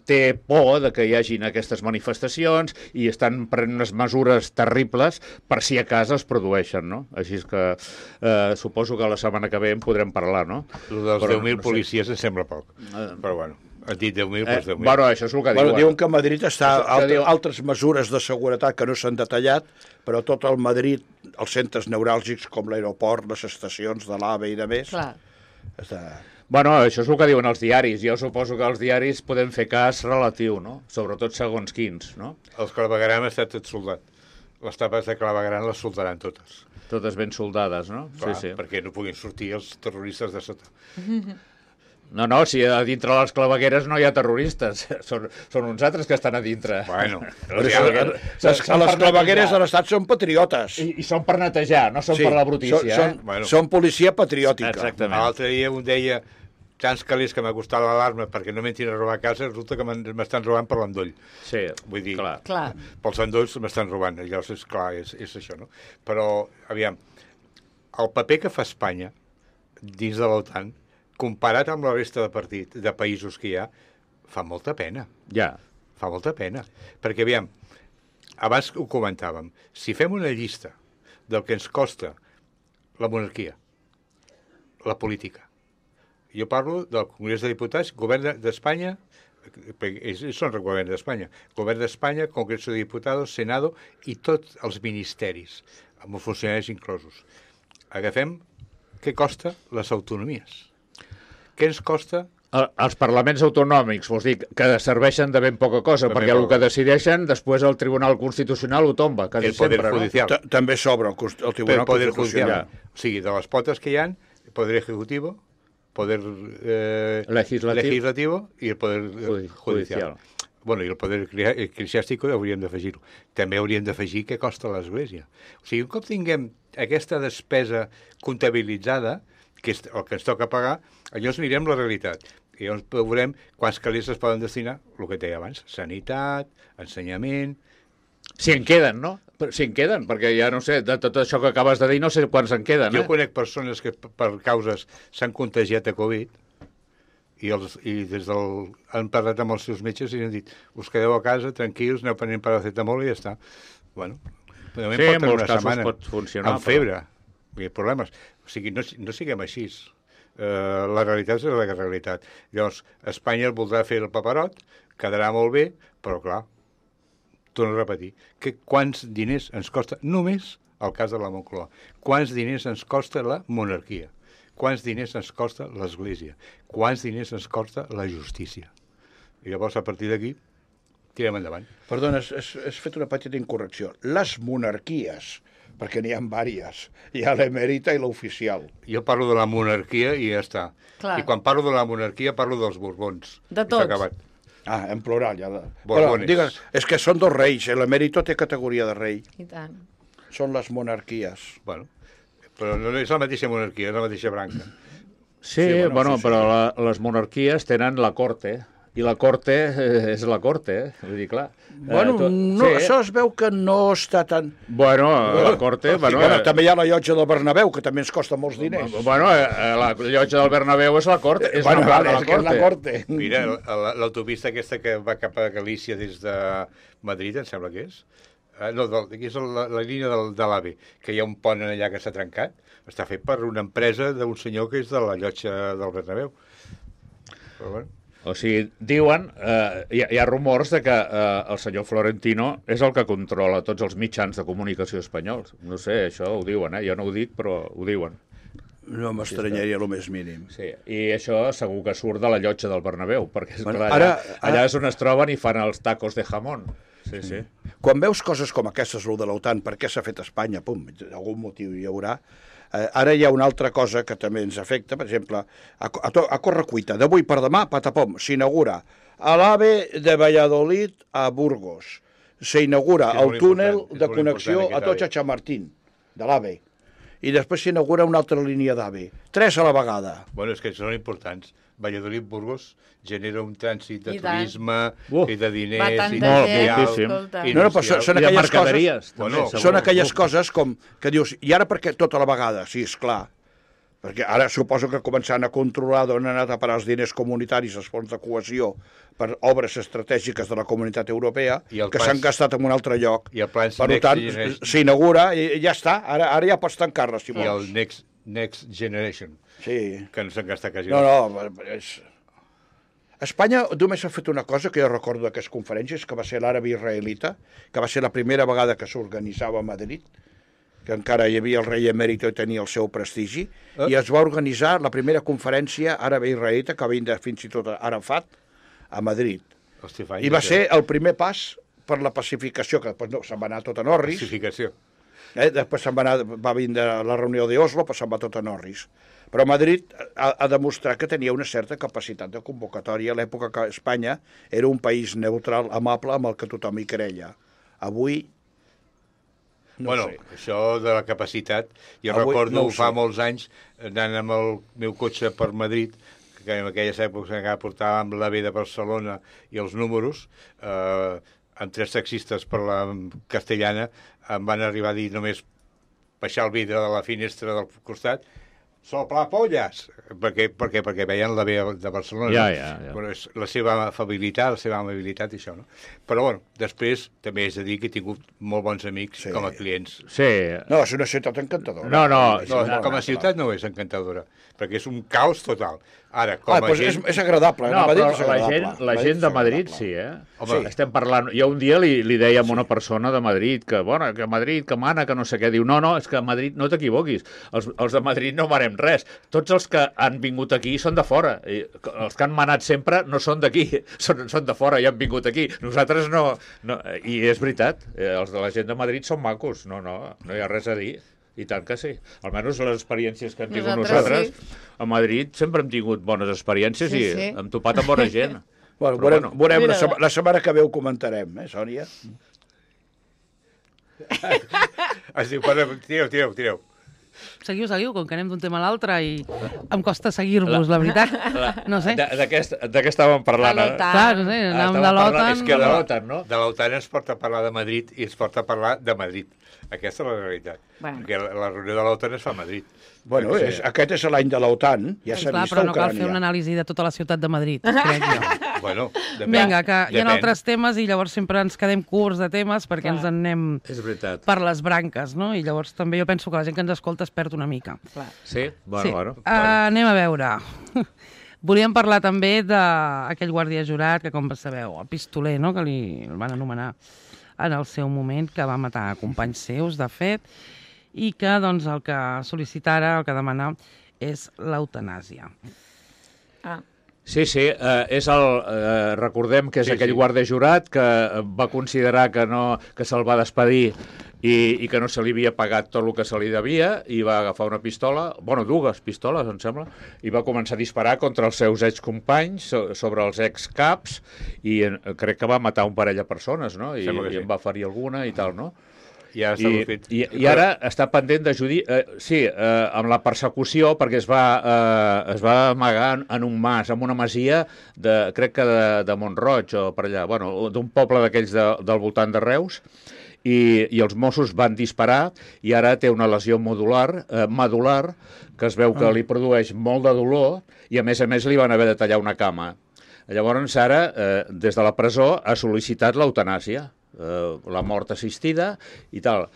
té por de que hi hagin aquestes manifestacions i estan prenent unes mesures terribles per si a casa es produeixen, no? Així que suposo que la setmana que ve en podrem parlar, no? El dels 10.000 policies em sembla poc, però bueno. Has dit 10.000, doncs 10.000. Bueno, això és el que diuen. Diuen que a Madrid està altres mesures de seguretat que no s'han detallat, però tot el Madrid, els centres neuràlgics com l'aeroport, les estacions de l'AVE i de més... Clar. Bueno, això és el que diuen els diaris. Jo suposo que els diaris podem fer cas relatiu, no? Sobretot segons quins, no? Els clavegueram està tot soldat. Les tapes de clavegueram les soldaran totes. Totes ben soldades, no? Clar, sí. Perquè no puguin sortir els terroristes de sota. No, si a dintre les clavegueres no hi ha terroristes, són uns altres que estan a dintre. Bueno, les clavegueres de l'Estat són patriotes. I són per netejar, no són per la brutícia. Són policia patriòtica. Exactament. L'altre dia un deia, tants calés que m'ha costat l'alarma perquè no m'entrin a robar a casa, resulta que m'estan robant per l'endoll. Sí, vull dir, clar. Pels endolls m'estan robant, llavors és clar, és això, no? Però, aviam, el paper que fa Espanya dins de l'OTAN, comparat amb la resta de països que hi ha, fa molta pena. Ja. Fa molta pena. Perquè, aviam, abans ho comentàvem, si fem una llista del que ens costa la monarquia, la política, jo parlo del Congrés de Diputats, Govern d'Espanya, són el Govern d'Espanya, Congrés de Diputats, Senado i tots els ministeris, amb els funcionaris inclosos. Agafem què costa les autonomies. Què ens costa? Els parlaments autonòmics, vols dir, que serveixen de ben poca cosa, perquè el que decideixen, després el Tribunal Constitucional ho tomba, quasi sempre. El Poder Judicial. També s'obre el Tribunal Constitucional. O sigui, de les potes que hi ha, el Poder Ejecutivo, Poder Legislativo i el Poder Judicial. Bueno, i el Poder Eclesiàstico hauríem d'afegir-ho. També hauríem d'afegir què costa l'Església. O sigui, un cop tinguem aquesta despesa comptabilitzada, que és el que ens toca pagar, llavors mirem la realitat. I llavors veurem quants calés es poden destinar, el que deia abans, sanitat, ensenyament... Si en queden, no? Si en queden, perquè ja no sé, de tot això que acabes de dir, no sé quants en queden. Jo conec persones que per causes s'han contagiat de Covid i han parlat amb els seus metges i han dit, us quedeu a casa, tranquils, aneu prenent paracetamol i ja està. Bueno, sí, en molts casos pot funcionar. Amb febre, hi ha problemes. O sigui, no siguem així. La realitat és la realitat. Llavors, Espanya el voldrà fer el paperot, quedarà molt bé, però clar, torno a repetir, quants diners ens costa només el cas de la Moncloa? Quants diners ens costa la monarquia? Quants diners ens costa l'Església? Quants diners ens costa la justícia? I llavors, a partir d'aquí, tirem endavant. Perdona, has fet una petita incorrecció. Les monarquies, perquè n'hi ha diverses. Hi ha l'emèrita i l'oficial. Jo parlo de la monarquia i ja està. Clar. I quan parlo de la monarquia parlo dels Borbons. De tots. En plural. Ja. Borbones. Però, digues, és que són dos reis. L'emèrito té categoria de rei. I tant. Són les monarquies. Bueno, però no és la mateixa monarquia, és la mateixa branca. Sí, bueno, però les monarquies tenen la corte, i la corte és la corte, vull dir, clar. Bueno, no, això es veu que no està tan... Bueno, la corte... Bueno, també hi ha la llotja del Bernabéu, que també ens costa molts diners. Bueno, la llotja del Bernabéu és la corte. És la corte. Mira, l'autopista aquesta que va cap a Galícia des de Madrid, em sembla que és. No, aquí és la línia de l'AVE, que hi ha un pont allà que s'ha trencat. Està fet per una empresa d'un senyor que és de la llotja del Bernabéu. Però bueno... O sigui, diuen, hi ha rumors de que el senyor Florentino és el que controla tots els mitjans de comunicació espanyols. No sé, això ho diuen, jo no ho dic, però ho diuen. No m'estranyaria el més mínim. Sí, i això segur que surt de la llotja del Bernabéu, perquè allà és on es troben i fan els tacos de jamón. Sí, sí. Quan veus coses com aquestes, el de l'OTAN, per què s'ha fet a Espanya, pum, algun motiu hi haurà. Ara hi ha una altra cosa que també ens afecta, per exemple, a correcuita, d'avui per demà, patapom, s'inaugura a l'AVE de Valladolid a Burgos. S'inaugura el túnel de connexió a Atocha-Chamartín, de l'AVE. I després s'inaugura una altra línia d'AVE. 3 a la vegada. Bueno, és que són importants. Valladolid-Burgos genera un trànsit de turisme i de diners i són aquelles coses, són aquelles coses com que dius, i ara per què tota la vegada? Sí, esclar, perquè ara suposo que començant a controlar d'on han anat a parar els diners comunitaris, els fons de cohesió per obres estratègiques de la Comunitat Europea, que s'han gastat en un altre lloc. Per tant, s'inaugura i ja està, ara ja pots tancar-la, si vols. I el Next Generation, que no s'han gastat quasi. Espanya només ha fet una cosa que jo recordo d'aquestes conferències, que va ser l'àrabe israelita, que va ser la primera vegada que s'organitzava a Madrid, que encara hi havia el rei emèrit i tenia el seu prestigi, i es va organitzar la primera conferència àrabe israelita, que va vindre fins i tot a Arafat, a Madrid. I va ser el primer pas per la pacificació, que després se'n va anar tot a Norris. Pacificació. Després va vindre la reunió d'Oslo, però se'n va tot a Norris. Però Madrid ha demostrat que tenia una certa capacitat de convocatòria a l'època que Espanya era un país neutral, amable, amb el que tothom hi creia. Avui, no sé. Això de la capacitat, jo recordo fa molts anys anant amb el meu cotxe per Madrid, que en aquelles èpoques encara portàvem l'AVE de Barcelona i els números, amb 3 taxistes per la Castellana, em van arribar a dir només baixar el vidre de la finestra del costat, soplapolles, perquè veien la vea de Barcelona. Ja. Bueno, és la seva afabilitat, la seva amabilitat i això, no? Però, bueno, després també és de dir que he tingut molt bons amics com a clients. Sí. No, és una ciutat encantadora. No, com a ciutat no és encantadora, perquè és un caos total. Ara, com a gent... És agradable. No, però la gent de Madrid sí, Home, estem parlant... Jo un dia li deia a una persona de Madrid que, bueno, que Madrid, que mana, que no sé què. Diu, no, és que a Madrid no t'equivoquis. Els de Madrid no manem res. Tots els que han vingut aquí són de fora. Els que han manat sempre no són d'aquí. Són de fora i han vingut aquí. Nosaltres no... I és veritat. Els de la gent de Madrid són macos. No hi ha res a dir. I tant que sí. Almenys les experiències que hem tingut nosaltres a Madrid sempre hem tingut bones experiències i hem topat amb bona gent. Bueno, veurem la setmana que ve ho comentarem, Sònia? Es diu, tireu. Seguiu, com que anem d'un tema a l'altre i em costa seguir-vos, la veritat. No sé. De què estàvem parlant? Clar, no sé, anàvem de l'OTAN. És que de l'OTAN, no? De l'OTAN ens porta a parlar de Madrid i ens porta a parlar de Madrid. Aquesta és la realitat. Perquè la reunió de l'OTAN es fa a Madrid. Bueno, aquest és l'any de l'OTAN, ja s'ha vist a Ucrània. Però no cal fer una anàlisi de tota la ciutat de Madrid, crec jo. Bueno, depèn. Vinga, que hi ha altres temes i llavors sempre ens quedem curts de temes perquè ens en anem per les branques, no? I llavors també jo penso que la gent que ens escolta es perd una mica. Sí? Bueno. Anem a veure. Volíem parlar també d'aquell guàrdia jurat que, com sabeu, el pistoler, no?, que el van anomenar en el seu moment, que va matar companys seus, de fet, i que doncs, el que sol·licita ara, el que demana, és l'eutanàsia. Sí, recordem que és aquell guàrdia jurat que va considerar que se'l va despedir i que no se li havia pagat tot el que se li devia i va agafar una pistola, dues pistoles, em sembla, i va començar a disparar contra els seus excompanys, sobre els excaps, i crec que va matar un parell de persones, no? I en va ferir alguna i tal, no? I ara està pendent de amb la persecució, perquè es va amagar en un mas, en una masia, crec que de Mont-roig o per allà, bueno, d'un poble d'aquells del voltant de Reus, i els Mossos van disparar i ara té una lesió medular que es veu que li produeix molt de dolor i a més li van haver de tallar una cama. Llavors ara, des de la presó, ha sol·licitat l'eutanàsia, la mort assistida i tal.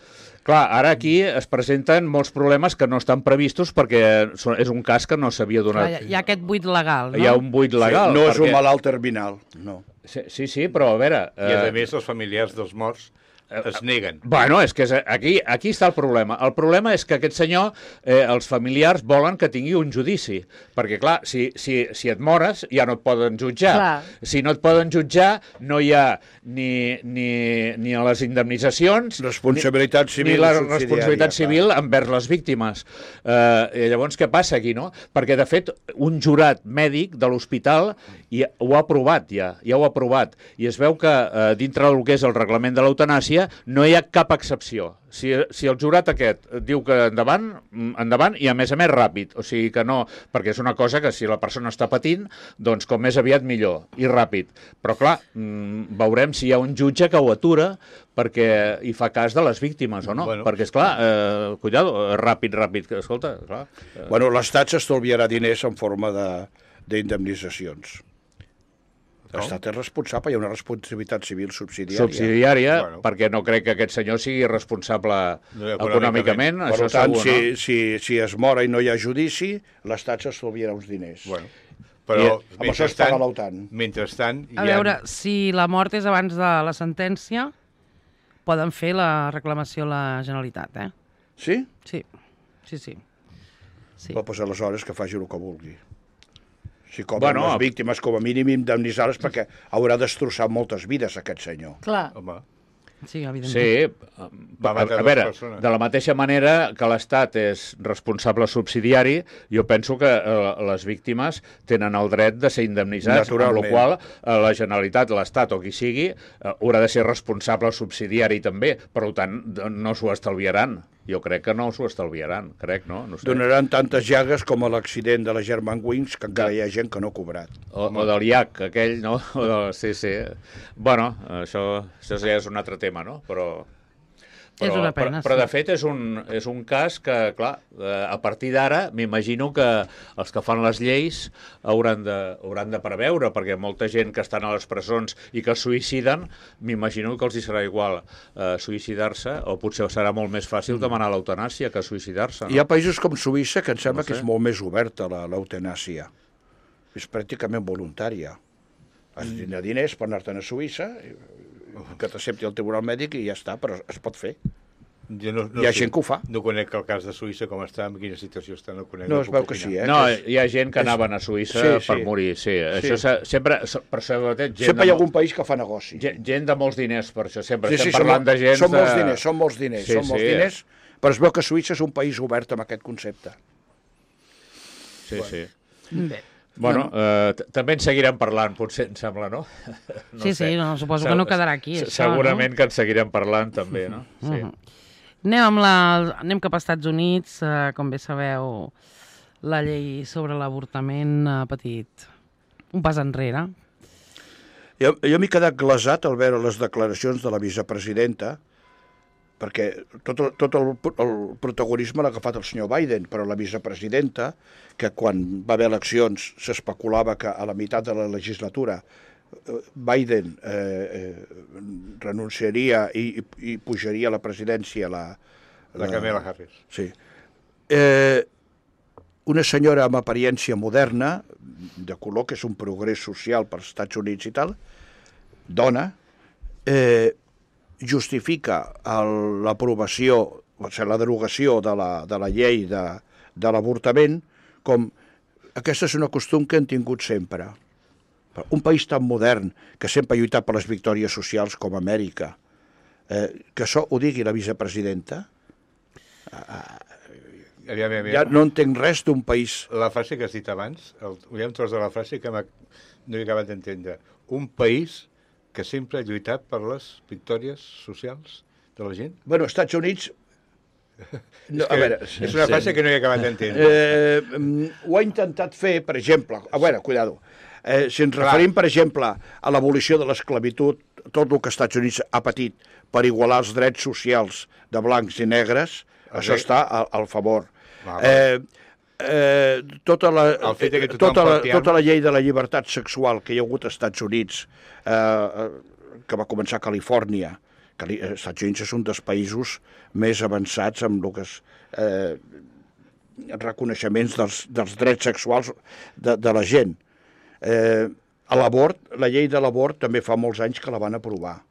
Clar, ara aquí es presenten molts problemes que no estan previstos perquè és un cas que no s'havia donat. Hi ha aquest buit legal, no? Hi ha un buit legal. No és un malalt terminal, no. Sí, però a veure... I a més els familiars dels morts es neguen. Bueno, és que aquí està el problema. El problema és que aquest senyor, els familiars volen que tingui un judici, perquè clar, si et mores ja no et poden jutjar. Clar. Si no et poden jutjar no hi ha ni a les indemnitzacions responsabilitat civil, ni la responsabilitat civil envers les víctimes. Llavors què passa aquí, no? Perquè de fet un jurat mèdic de l'hospital ho ha aprovat ja ho ha aprovat, i es veu que dintre del que és el reglament de l'eutanàsia no hi ha cap excepció. Si el jurat aquest diu que endavant i a més ràpid, o sigui que no, perquè és una cosa que si la persona està patint, doncs com més aviat millor i ràpid. Però clar, veurem si hi ha un jutge que ho atura perquè hi fa cas de les víctimes o no, perquè esclar, cuidado, ràpid, que escolta, clar. Bueno, l'Estat s'estalviarà diners en forma d'indemnitzacions. L'Estat és responsable, hi ha una responsabilitat civil subsidiària. Perquè no crec que aquest senyor sigui responsable econòmicament. Per tant, si es mora i no hi ha judici, l'Estat s'estalviarà uns diners. Però mentrestant... A veure, si la mort és abans de la sentència, poden fer la reclamació a la Generalitat, eh? Sí? Sí. Doncs aleshores que faci el que vulgui. Si cobren les víctimes, com a mínim indemnitzar-les, perquè haurà destrossat moltes vides, aquest senyor. Clar. Sí, evidentment. Sí, a veure, de la mateixa manera que l'Estat és responsable subsidiari, jo penso que les víctimes tenen el dret de ser indemnitzats, amb la qual la Generalitat, l'Estat o qui sigui, haurà de ser responsable subsidiari també, per tant no s'ho estalviaran. Jo crec que no s'ho estalviaran, no sé. Donaran tantes llagues com a l'accident de la Germanwings, que encara hi ha gent que no ha cobrat. O del IAC, aquell, no? Sí. Bueno, això ja és un altre tema, no? Però és una pena, però de fet és un cas que, clar, a partir d'ara m'imagino que els que fan les lleis hauran de preveure, perquè molta gent que estan a les presons i que es suïciden, m'imagino que els hi serà igual suïcidar-se, o potser serà molt més fàcil demanar l'eutanàsia que suïcidar-se. No? Hi ha països com Suïssa que em sembla que és molt més oberta l'eutanàsia. És pràcticament voluntària. Has de tenir diners per anar-te'n a Suïssa, que t'accepti el tribunal mèdic i ja està, però es pot fer. Hi ha gent que ho fa. No conec el cas de Suïssa, com està, en quina situació està, no conec. No, es veu que sí, eh? No, hi ha gent que anaven a Suïssa per morir, sí. Això sempre, per sobretot, sempre hi ha algun país que fa negoci. Gent de molts diners, per això sempre estem parlant de gent... Són molts diners, però es veu que Suïssa és un país obert amb aquest concepte. Sí. Bé. Bueno, també en seguirem parlant, potser, em sembla, no? Suposo que no quedarà aquí, això, segurament que en seguirem parlant, també, no? Sí. Anem cap als Estats Units. Com bé sabeu, la llei sobre l'avortament ha patit un pas enrere. Jo m'he quedat glasat al veure les declaracions de la vicepresidenta, perquè tot el protagonisme l'ha agafat el senyor Biden, però la vicepresidenta, que quan va haver eleccions s'especulava que a la meitat de la legislatura Biden renunciaria i pujaria a la presidència la Kamala Harris. Sí. Una senyora amb apariència moderna, de color, que és un progrés social pels Estats Units i tal, dona, justifica l'aprovació, o sigui, la derogació de la llei de l'avortament com aquesta és una costum que han tingut sempre. Un país tan modern, que sempre ha lluitat per les victòries socials com Amèrica, que això ho digui la vicepresidenta, ja no entenc res d'un país... La frase que has dit abans, hi ha un tros de la frase que no he acabat d'entendre. Un país que sempre ha lluitat per les victòries socials de la gent? Bueno, als Estats Units... No, a veure, és una frase que no he acabat d'entendre. Ho ha intentat fer, per exemple... A veure, cuidado. Si ens referim, per exemple, a l'abolició de l'esclavitud, tot el que als Estats Units ha patit per igualar els drets socials de blancs i negres, això està al favor. Tota la llei de la llibertat sexual que hi ha hagut als Estats Units, que va començar a Califòrnia, els Estats Units és un dels països més avançats amb el que és reconeixements dels drets sexuals de la gent. La llei de l'abort també fa molts anys que la van aprovar.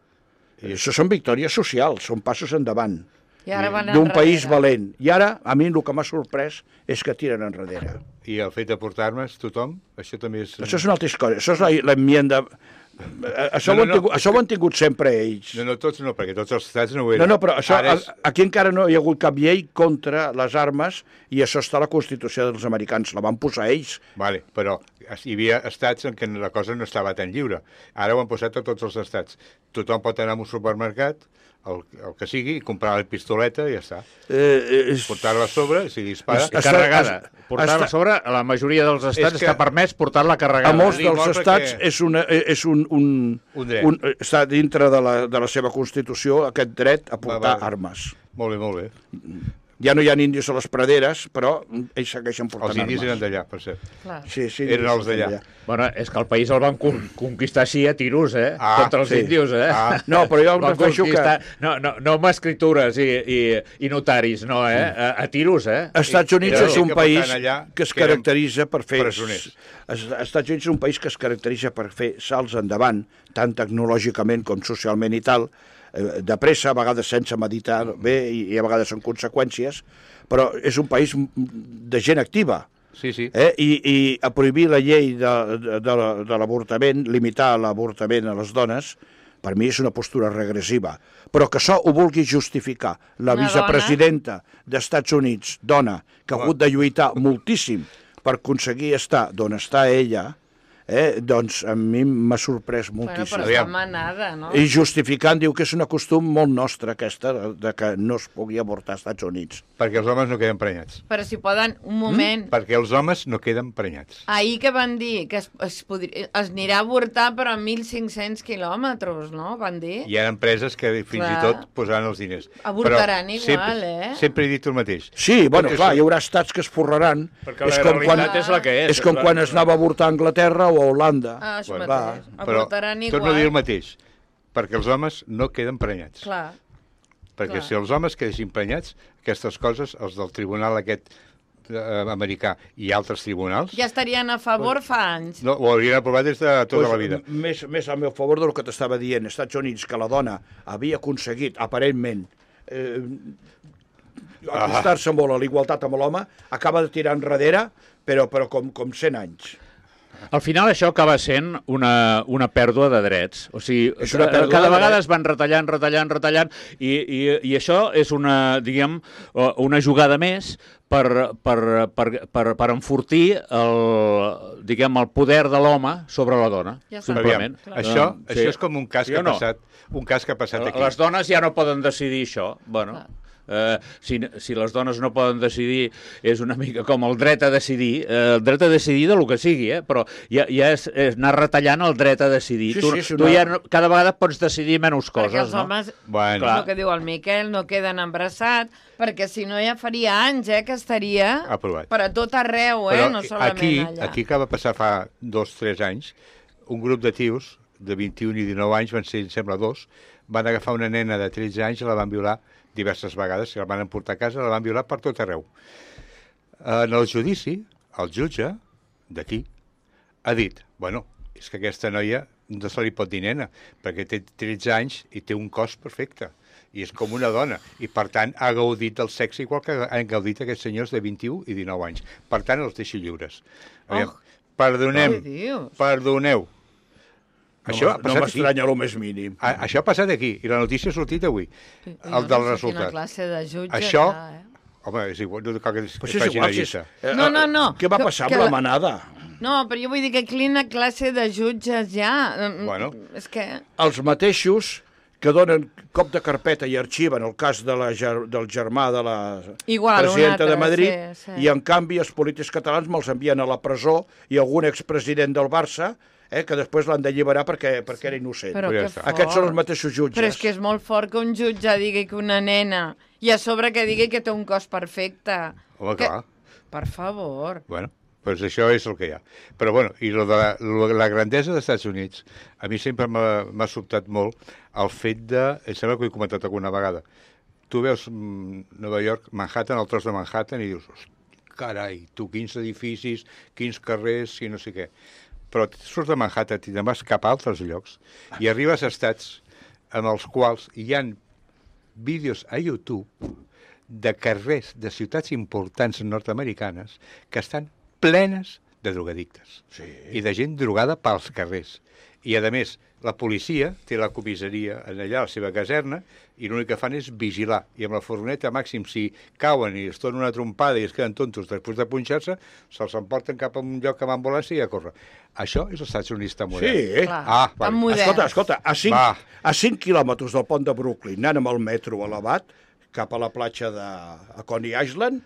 I això són victòries socials, són passos endavant d'un país valent. I ara, a mi el que m'ha sorprès és que tiren enrere. I el fet de portar armes, tothom, això també és... Això és una altra història, això és l'enmienda... Això ho han tingut sempre ells. No, tots no, perquè tots els estats no ho eren. No, però aquí encara no hi ha hagut cap llei contra les armes i això està a la Constitució dels americans, la van posar ells. Vale, però hi havia estats en què la cosa no estava tan lliure. Ara ho han posat a tots els estats. Tothom pot anar a un supermercat, el que sigui, comprar la pistoleta i ja està. Portar-la a sobre, si dispara... Carregada. Portar-la a sobre, a la majoria dels estats està permès portar-la carregada. A molts dels estats està dintre de la seva Constitució aquest dret a portar armes. Molt bé, molt bé. Ja no hi ha índios a les praderes, però ells segueixen portant armes. Els indis eren d'allà, per cert. Sí, eren els d'allà. Bueno, és que el país el van conquistar així a tiros, contra els índios, No, però jo em refereixo que... No amb escritures i notaris, no, a tiros, Estats Units és un país que es caracteritza per fer... Estats Units és un país que es caracteritza per fer salts endavant, tant tecnològicament com socialment i tal, de pressa, a vegades sense meditar bé i a vegades en conseqüències, però és un país de gent activa. Sí, sí. I a prohibir la llei de l'avortament, limitar l'avortament a les dones, per mi és una postura regressiva. Però que això ho vulgui justificar la vicepresidenta d'Estats Units, dona, que ha hagut de lluitar moltíssim per aconseguir estar d'on està ella, doncs a mi m'ha sorprès moltíssim. Però està manada, no? I justificant, diu que és una costum molt nostra aquesta, de que no es pugui avortar als Estats Units. Perquè els homes no queden prenyats. Però si poden, un moment... Perquè els homes no queden prenyats. Ahir que van dir que es anirà a avortar però a 1.500 quilòmetres, no? Van dir. Hi ha empreses que fins i tot posaran els diners. Avortaran igual, Sempre he dit el mateix. Sí, bueno, clar, hi haurà estats que es forraran. Perquè la realitat és la que és. És com quan es anava a avortar a Anglaterra o a Holanda. Això mateix. Però torno a dir el mateix, perquè els homes no queden prenyats. Clar. Perquè si els homes quedessin prenyats, aquestes coses, els del tribunal aquest americà i altres tribunals... Ja estarien a favor fa anys. No, ho haurien aprovat des de tota la vida. Més al meu favor del que t'estava dient, als Estats Units, que la dona havia aconseguit, aparentment, acostar-se molt a l'igualtat amb l'home, acaba de tirar enrere, però com 100 anys. Al final això acaba sent una pèrdua de drets. O sigui, cada vegada es van retallant, i això és una jugada més per enfortir el poder de l'home sobre la dona, simplement. Això és com un cas que ha passat aquí. Les dones ja no poden decidir això. Bueno... Si les dones no poden decidir, és una mica com el dret a decidir del que sigui, però ja és anar retallant el dret a decidir. Tu ja cada vegada pots decidir menys coses. Perquè els homes, el que diu el Miquel, no queden embarassats, perquè si no ja faria anys que estaria aprovat per a tot arreu, no solament allà. Aquí que va passar fa 2-3 anys, un grup de tios de 21 i 19 anys, van ser, em sembla, 2, van agafar una nena de 13 anys i la van violar diverses vegades, la van emportar a casa, la van violar per tot arreu. En el judici, el jutge d'aquí ha dit, bueno, és que aquesta noia no se li pot dir nena, perquè té 13 anys i té un cos perfecte, i és com una dona, i per tant ha gaudit del sexe igual que han gaudit aquests senyors de 21 i 19 anys. Per tant, els deixi lliures. Perdoneu. No m'estranya el més mínim. Això ha passat aquí, i la notícia ha sortit avui, el del resultat. Quina classe de jutge això, home, és igual, no cal que es faci una llista. No. Què va passar amb la manada? No, però jo vull dir que quina classe de jutges hi ha. Bueno. És que... Els mateixos que donen cop de carpeta i arxiven el cas del germà de la Igual, presidenta altre, de Madrid, sí. i en canvi els polítics catalans me'ls envien a la presó i algun expresident del Barça que després l'han d'alliberar perquè era innocent. Però que fort. Aquests són els mateixos jutges. Però és que és molt fort que un jutge digui que una nena, i a sobre que digui que té un cos perfecte. Home, clar. Per favor. Bueno, doncs això és el que hi ha. Però, bueno, i la grandesa dels Estats Units, a mi sempre m'ha sobtat molt el fet de... Em sembla que ho he comentat alguna vegada. Tu veus Nova York, Manhattan, el tros de Manhattan, i dius, carai, tu, quins edificis, quins carrers, i no sé què. Però surts de Manhattan i te'n vas cap a altres llocs i arribes a estats en els quals hi ha vídeos a YouTube de carrers de ciutats importants nord-americanes que estan plenes de drogadictes i de gent drogada pels carrers. I, a més, la policia té la comissaria allà a la seva caserna i l'únic que fan és vigilar. I amb la furgoneta, màxim, si cauen i es donen una trompada i es queden tontos després de punxar-se, se'ls emporten cap a un lloc amb ambulància i a córrer. Això és els Estats Units tan modern. Sí. Clar, tan modern. Escolta, a 5 quilòmetres del pont de Brooklyn, anant amb el metro elevat, cap a la platja de Coney Island,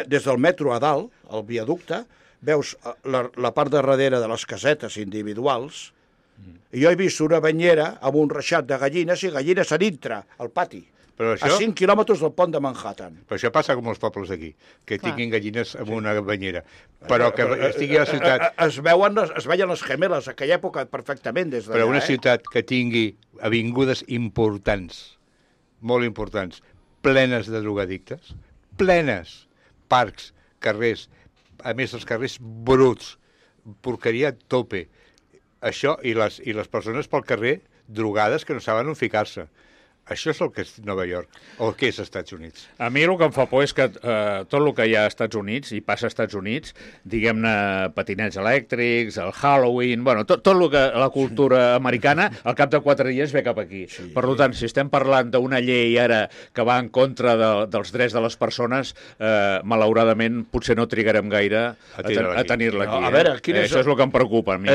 des del metro a dalt, el viaducte, veus la part de darrere de les casetes individuals, i jo he vist una banyera amb un reixat de gallines i gallines a dintre, al pati, Però això... a 5 quilòmetres del pont de Manhattan. Però això passa com els pobles d'aquí, que tinguin gallines amb una banyera. Però que estigui a la ciutat... Es veien les gemeles, a aquella època, perfectament, des d'allà. Però una ciutat que tingui avingudes importants, molt importants, plenes de drogadictes, plenes, parcs, carrers, a més els carrers bruts, porqueria a tope, això i les persones pel carrer drogades que no saben on ficar-se. Això és el que és Nova York, o el que és Estats Units. A mi el que em fa por és que tot el que hi ha als Estats Units, i passa als Estats Units, diguem-ne patinets elèctrics, el Halloween, bueno, tot el que la cultura americana, al cap de 4 dies ve cap aquí. Sí. Per tant, si estem parlant d'una llei ara que va en contra dels drets de les persones, malauradament potser no trigarem gaire a tenir-la aquí. A veure, això és el que em preocupa a mi.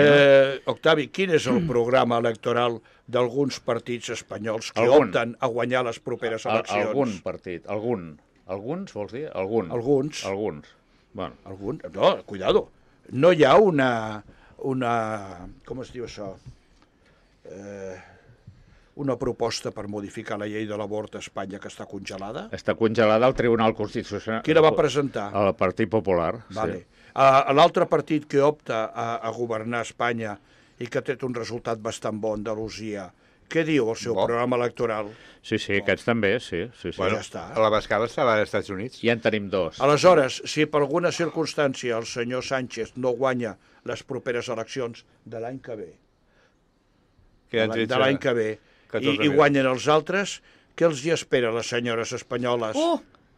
Octavi, quin és el programa electoral d'alguns partits espanyols que opten a guanyar les properes eleccions? Algun partit, alguns, vols dir? Alguns. Bueno. Alguns? No, cuidado. No hi ha una com es diu això? Una proposta per modificar la llei de l'avort a Espanya que està congelada? Està congelada al Tribunal Constitucional. Qui la va presentar? El Partit Popular. Vale. Sí. L'altre partit que opta a governar Espanya i que ha tret un resultat bastant bo, Andalusia, què diu el seu programa electoral? Sí, aquests també, sí. Bueno, ja està. A la Bascada estava als Estats Units. Ja en tenim 2. Aleshores, si per alguna circumstància el senyor Sánchez no guanya les properes eleccions de l'any que ve, i guanyen els altres, què els hi espera a les senyores espanyoles?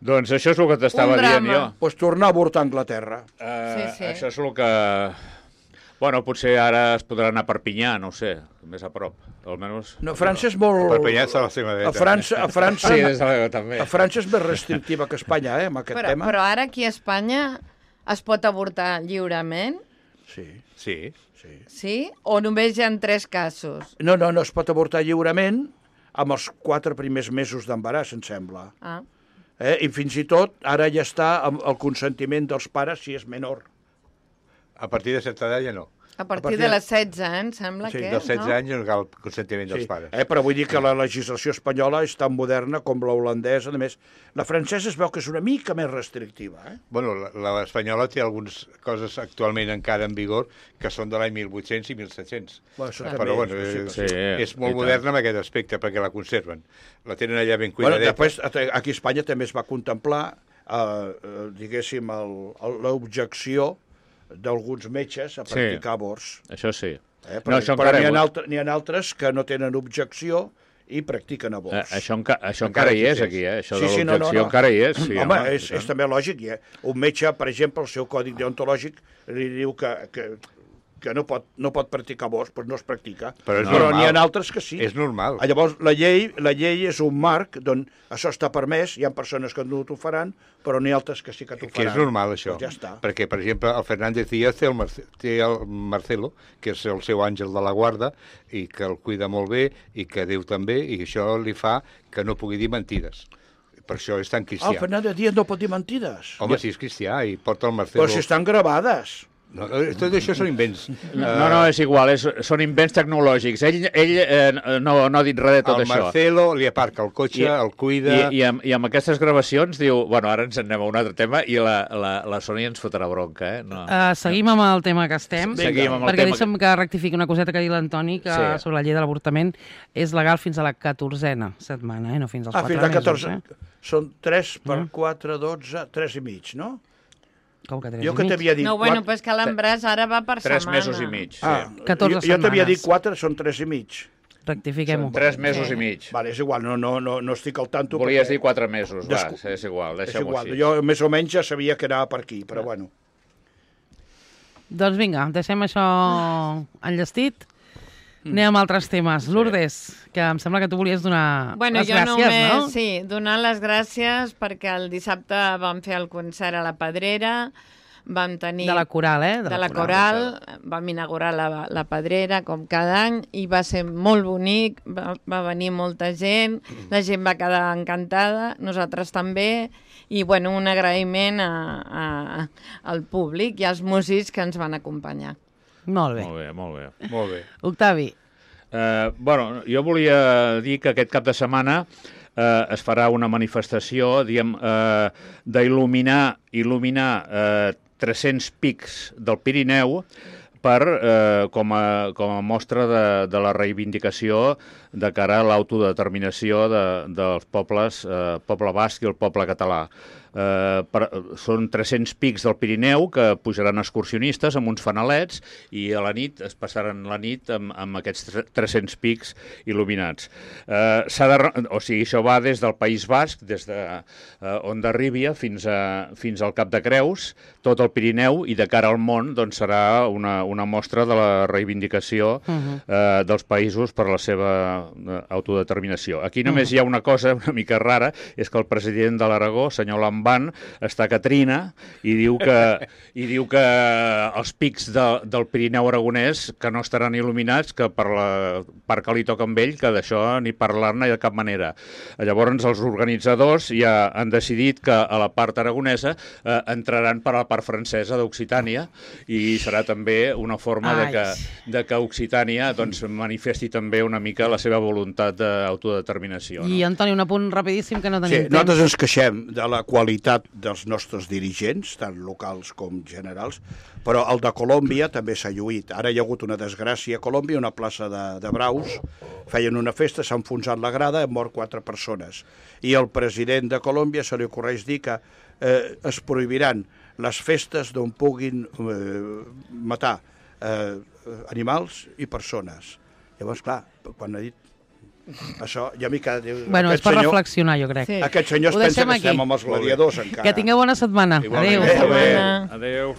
Doncs això és el que t'estava dient jo. Pues tornar a avortar a Anglaterra. Sí. Això és el que... Bueno, potser ara es podrà anar a Perpinyà, no ho sé, més a prop, almenys... No, França és molt... Perpinyà està a la seva dreta. A França... Sí, des de la també. A França és més restrictiva que Espanya, amb aquest tema. Però ara aquí a Espanya es pot avortar lliurement? Sí. Sí? O només hi ha 3 casos? No, es pot avortar lliurement amb els 4 primers mesos d'embaràs, em sembla. I fins i tot, ara ja està el consentiment dels pares si és menor. A partir de certa edat ja no. A partir de les 16, em sembla que és, no? Dels 16 anys no cal el consentiment dels pares. Però vull dir que la legislació espanyola és tan moderna com la holandesa. A més, la francesa es veu que és una mica més restrictiva. Bueno, l'espanyola té algunes coses actualment encara en vigor que són de l'any 1800 i 1700. Però bueno, és molt moderna en aquest aspecte perquè la conserven. La tenen allà ben cuidadeta. Després, aquí a Espanya també es va contemplar, diguéssim, l'objecció d'alguns metges a practicar avorts. Això sí. Però n'hi ha altres que no tenen objecció i practiquen avorts. Això encara hi és, aquí, Això de l'objecció encara hi és. Sí, home, és també lògic. Un metge, per exemple, el seu còdic deontològic li diu que que no pot practicar bosc, doncs no es practica. Però n'hi ha altres que sí. És normal. Llavors, la llei és un marc d'on això està permès, hi ha persones que no t'ho faran, però n'hi ha altres que sí que t'ho faran. Que és normal, això. Doncs ja està. Perquè, per exemple, el Fernández Díaz té el Marcelo, que és el seu àngel de la guarda, i que el cuida molt bé, i que Déu també, i això li fa que no pugui dir mentides. Per això és tan cristià. El Fernández Díaz no pot dir mentides. Home, sí, és cristià, i porta el Marcelo... Però si estan gravades. No, tot això són invents. No, és igual, són invents tecnològics. Ell no ha dit res de tot això. El Marcelo li aparca el cotxe, el cuida... I amb aquestes gravacions diu... Bueno, ara ens anem a un altre tema i la Sònia ens fotrà bronca, No. Seguim amb el tema que estem, perquè deixa'm que rectifiqui una coseta que ha dit l'Antoni, que sobre la llei de l'avortament és legal fins a la 14a setmana, no fins als 4 mesos. Fins a 14. Són 3 per 4, 12, 3 i mig, no? Com que 3 jo i que mig? t'havia dit... No, bueno, però és que l'embràs ara va per 3 setmana. 3 mesos i mig. 14 jo t'havia dit setmanes. 4, són 3 i mig. Rectifiquem-ho. 3 mesos i mig. Vale, és igual, no estic al tanto. Volies dir 4 mesos, és igual, deixem-ho així. Jo més o menys ja sabia que anava per aquí, però bueno. Doncs vinga, deixem això enllestit. Anem a altres temes. Lourdes, que em sembla que tu volies donar les gràcies, no? Sí, donar les gràcies perquè el dissabte vam fer el concert a la Pedrera, vam tenir... De la Coral, De la Coral, vam inaugurar la Pedrera, com cada any, i va ser molt bonic, va venir molta gent, la gent va quedar encantada, nosaltres també, i bueno, un agraïment al públic i als músics que ens van acompanyar. Molt bé. Molt bé. Octavi. Jo volia dir que aquest cap de setmana es farà una manifestació, d'il·luminar 300 pics del Pirineu com a mostra de la reivindicació de cara a l'autodeterminació dels pobles, poble basc i el poble català. Són 300 pics del Pirineu que pujaran excursionistes amb uns fanalets i a la nit es passaran la nit amb aquests 300 pics il·luminats. Això va des del País Basc, des d'Hondarribia fins al Cap de Creus, tot el Pirineu, i de cara al món serà una mostra de la reivindicació dels països per la seva autodeterminació. Aquí només hi ha una cosa una mica rara, és que el president de l'Aragó, senyor Lamban, està a Catrina i diu que els pics del Pirineu aragonès que no estaran il·luminats, que per la part que li toca amb ell, que d'això ni parlar-ne de cap manera. Llavors els organitzadors ja han decidit que a la part aragonesa entraran per a la part francesa d'Occitània i serà també una forma de que Occitània manifesti també una mica la seva voluntat d'autodeterminació. I Antoni, un apunt rapidíssim que no tenim temps. Nosaltres ens queixem de la qualitat dels nostres dirigents, tant locals com generals, però el de Colòmbia també s'ha lluït. Ara hi ha hagut una desgràcia a Colòmbia, una plaça de braus, feien una festa, s'ha enfonsat la grada, han mort 4 persones. I el president de Colòmbia se li ocorreix dir que es prohibiran les festes d'on puguin matar animals i persones. Llavors, clar, quan ha dit això, ja m'hi queda... Bueno, és per reflexionar, jo crec. Aquest senyor es pensa que estem amb els gladiadors encara. Que tingueu bona setmana. Adéu. Adéu.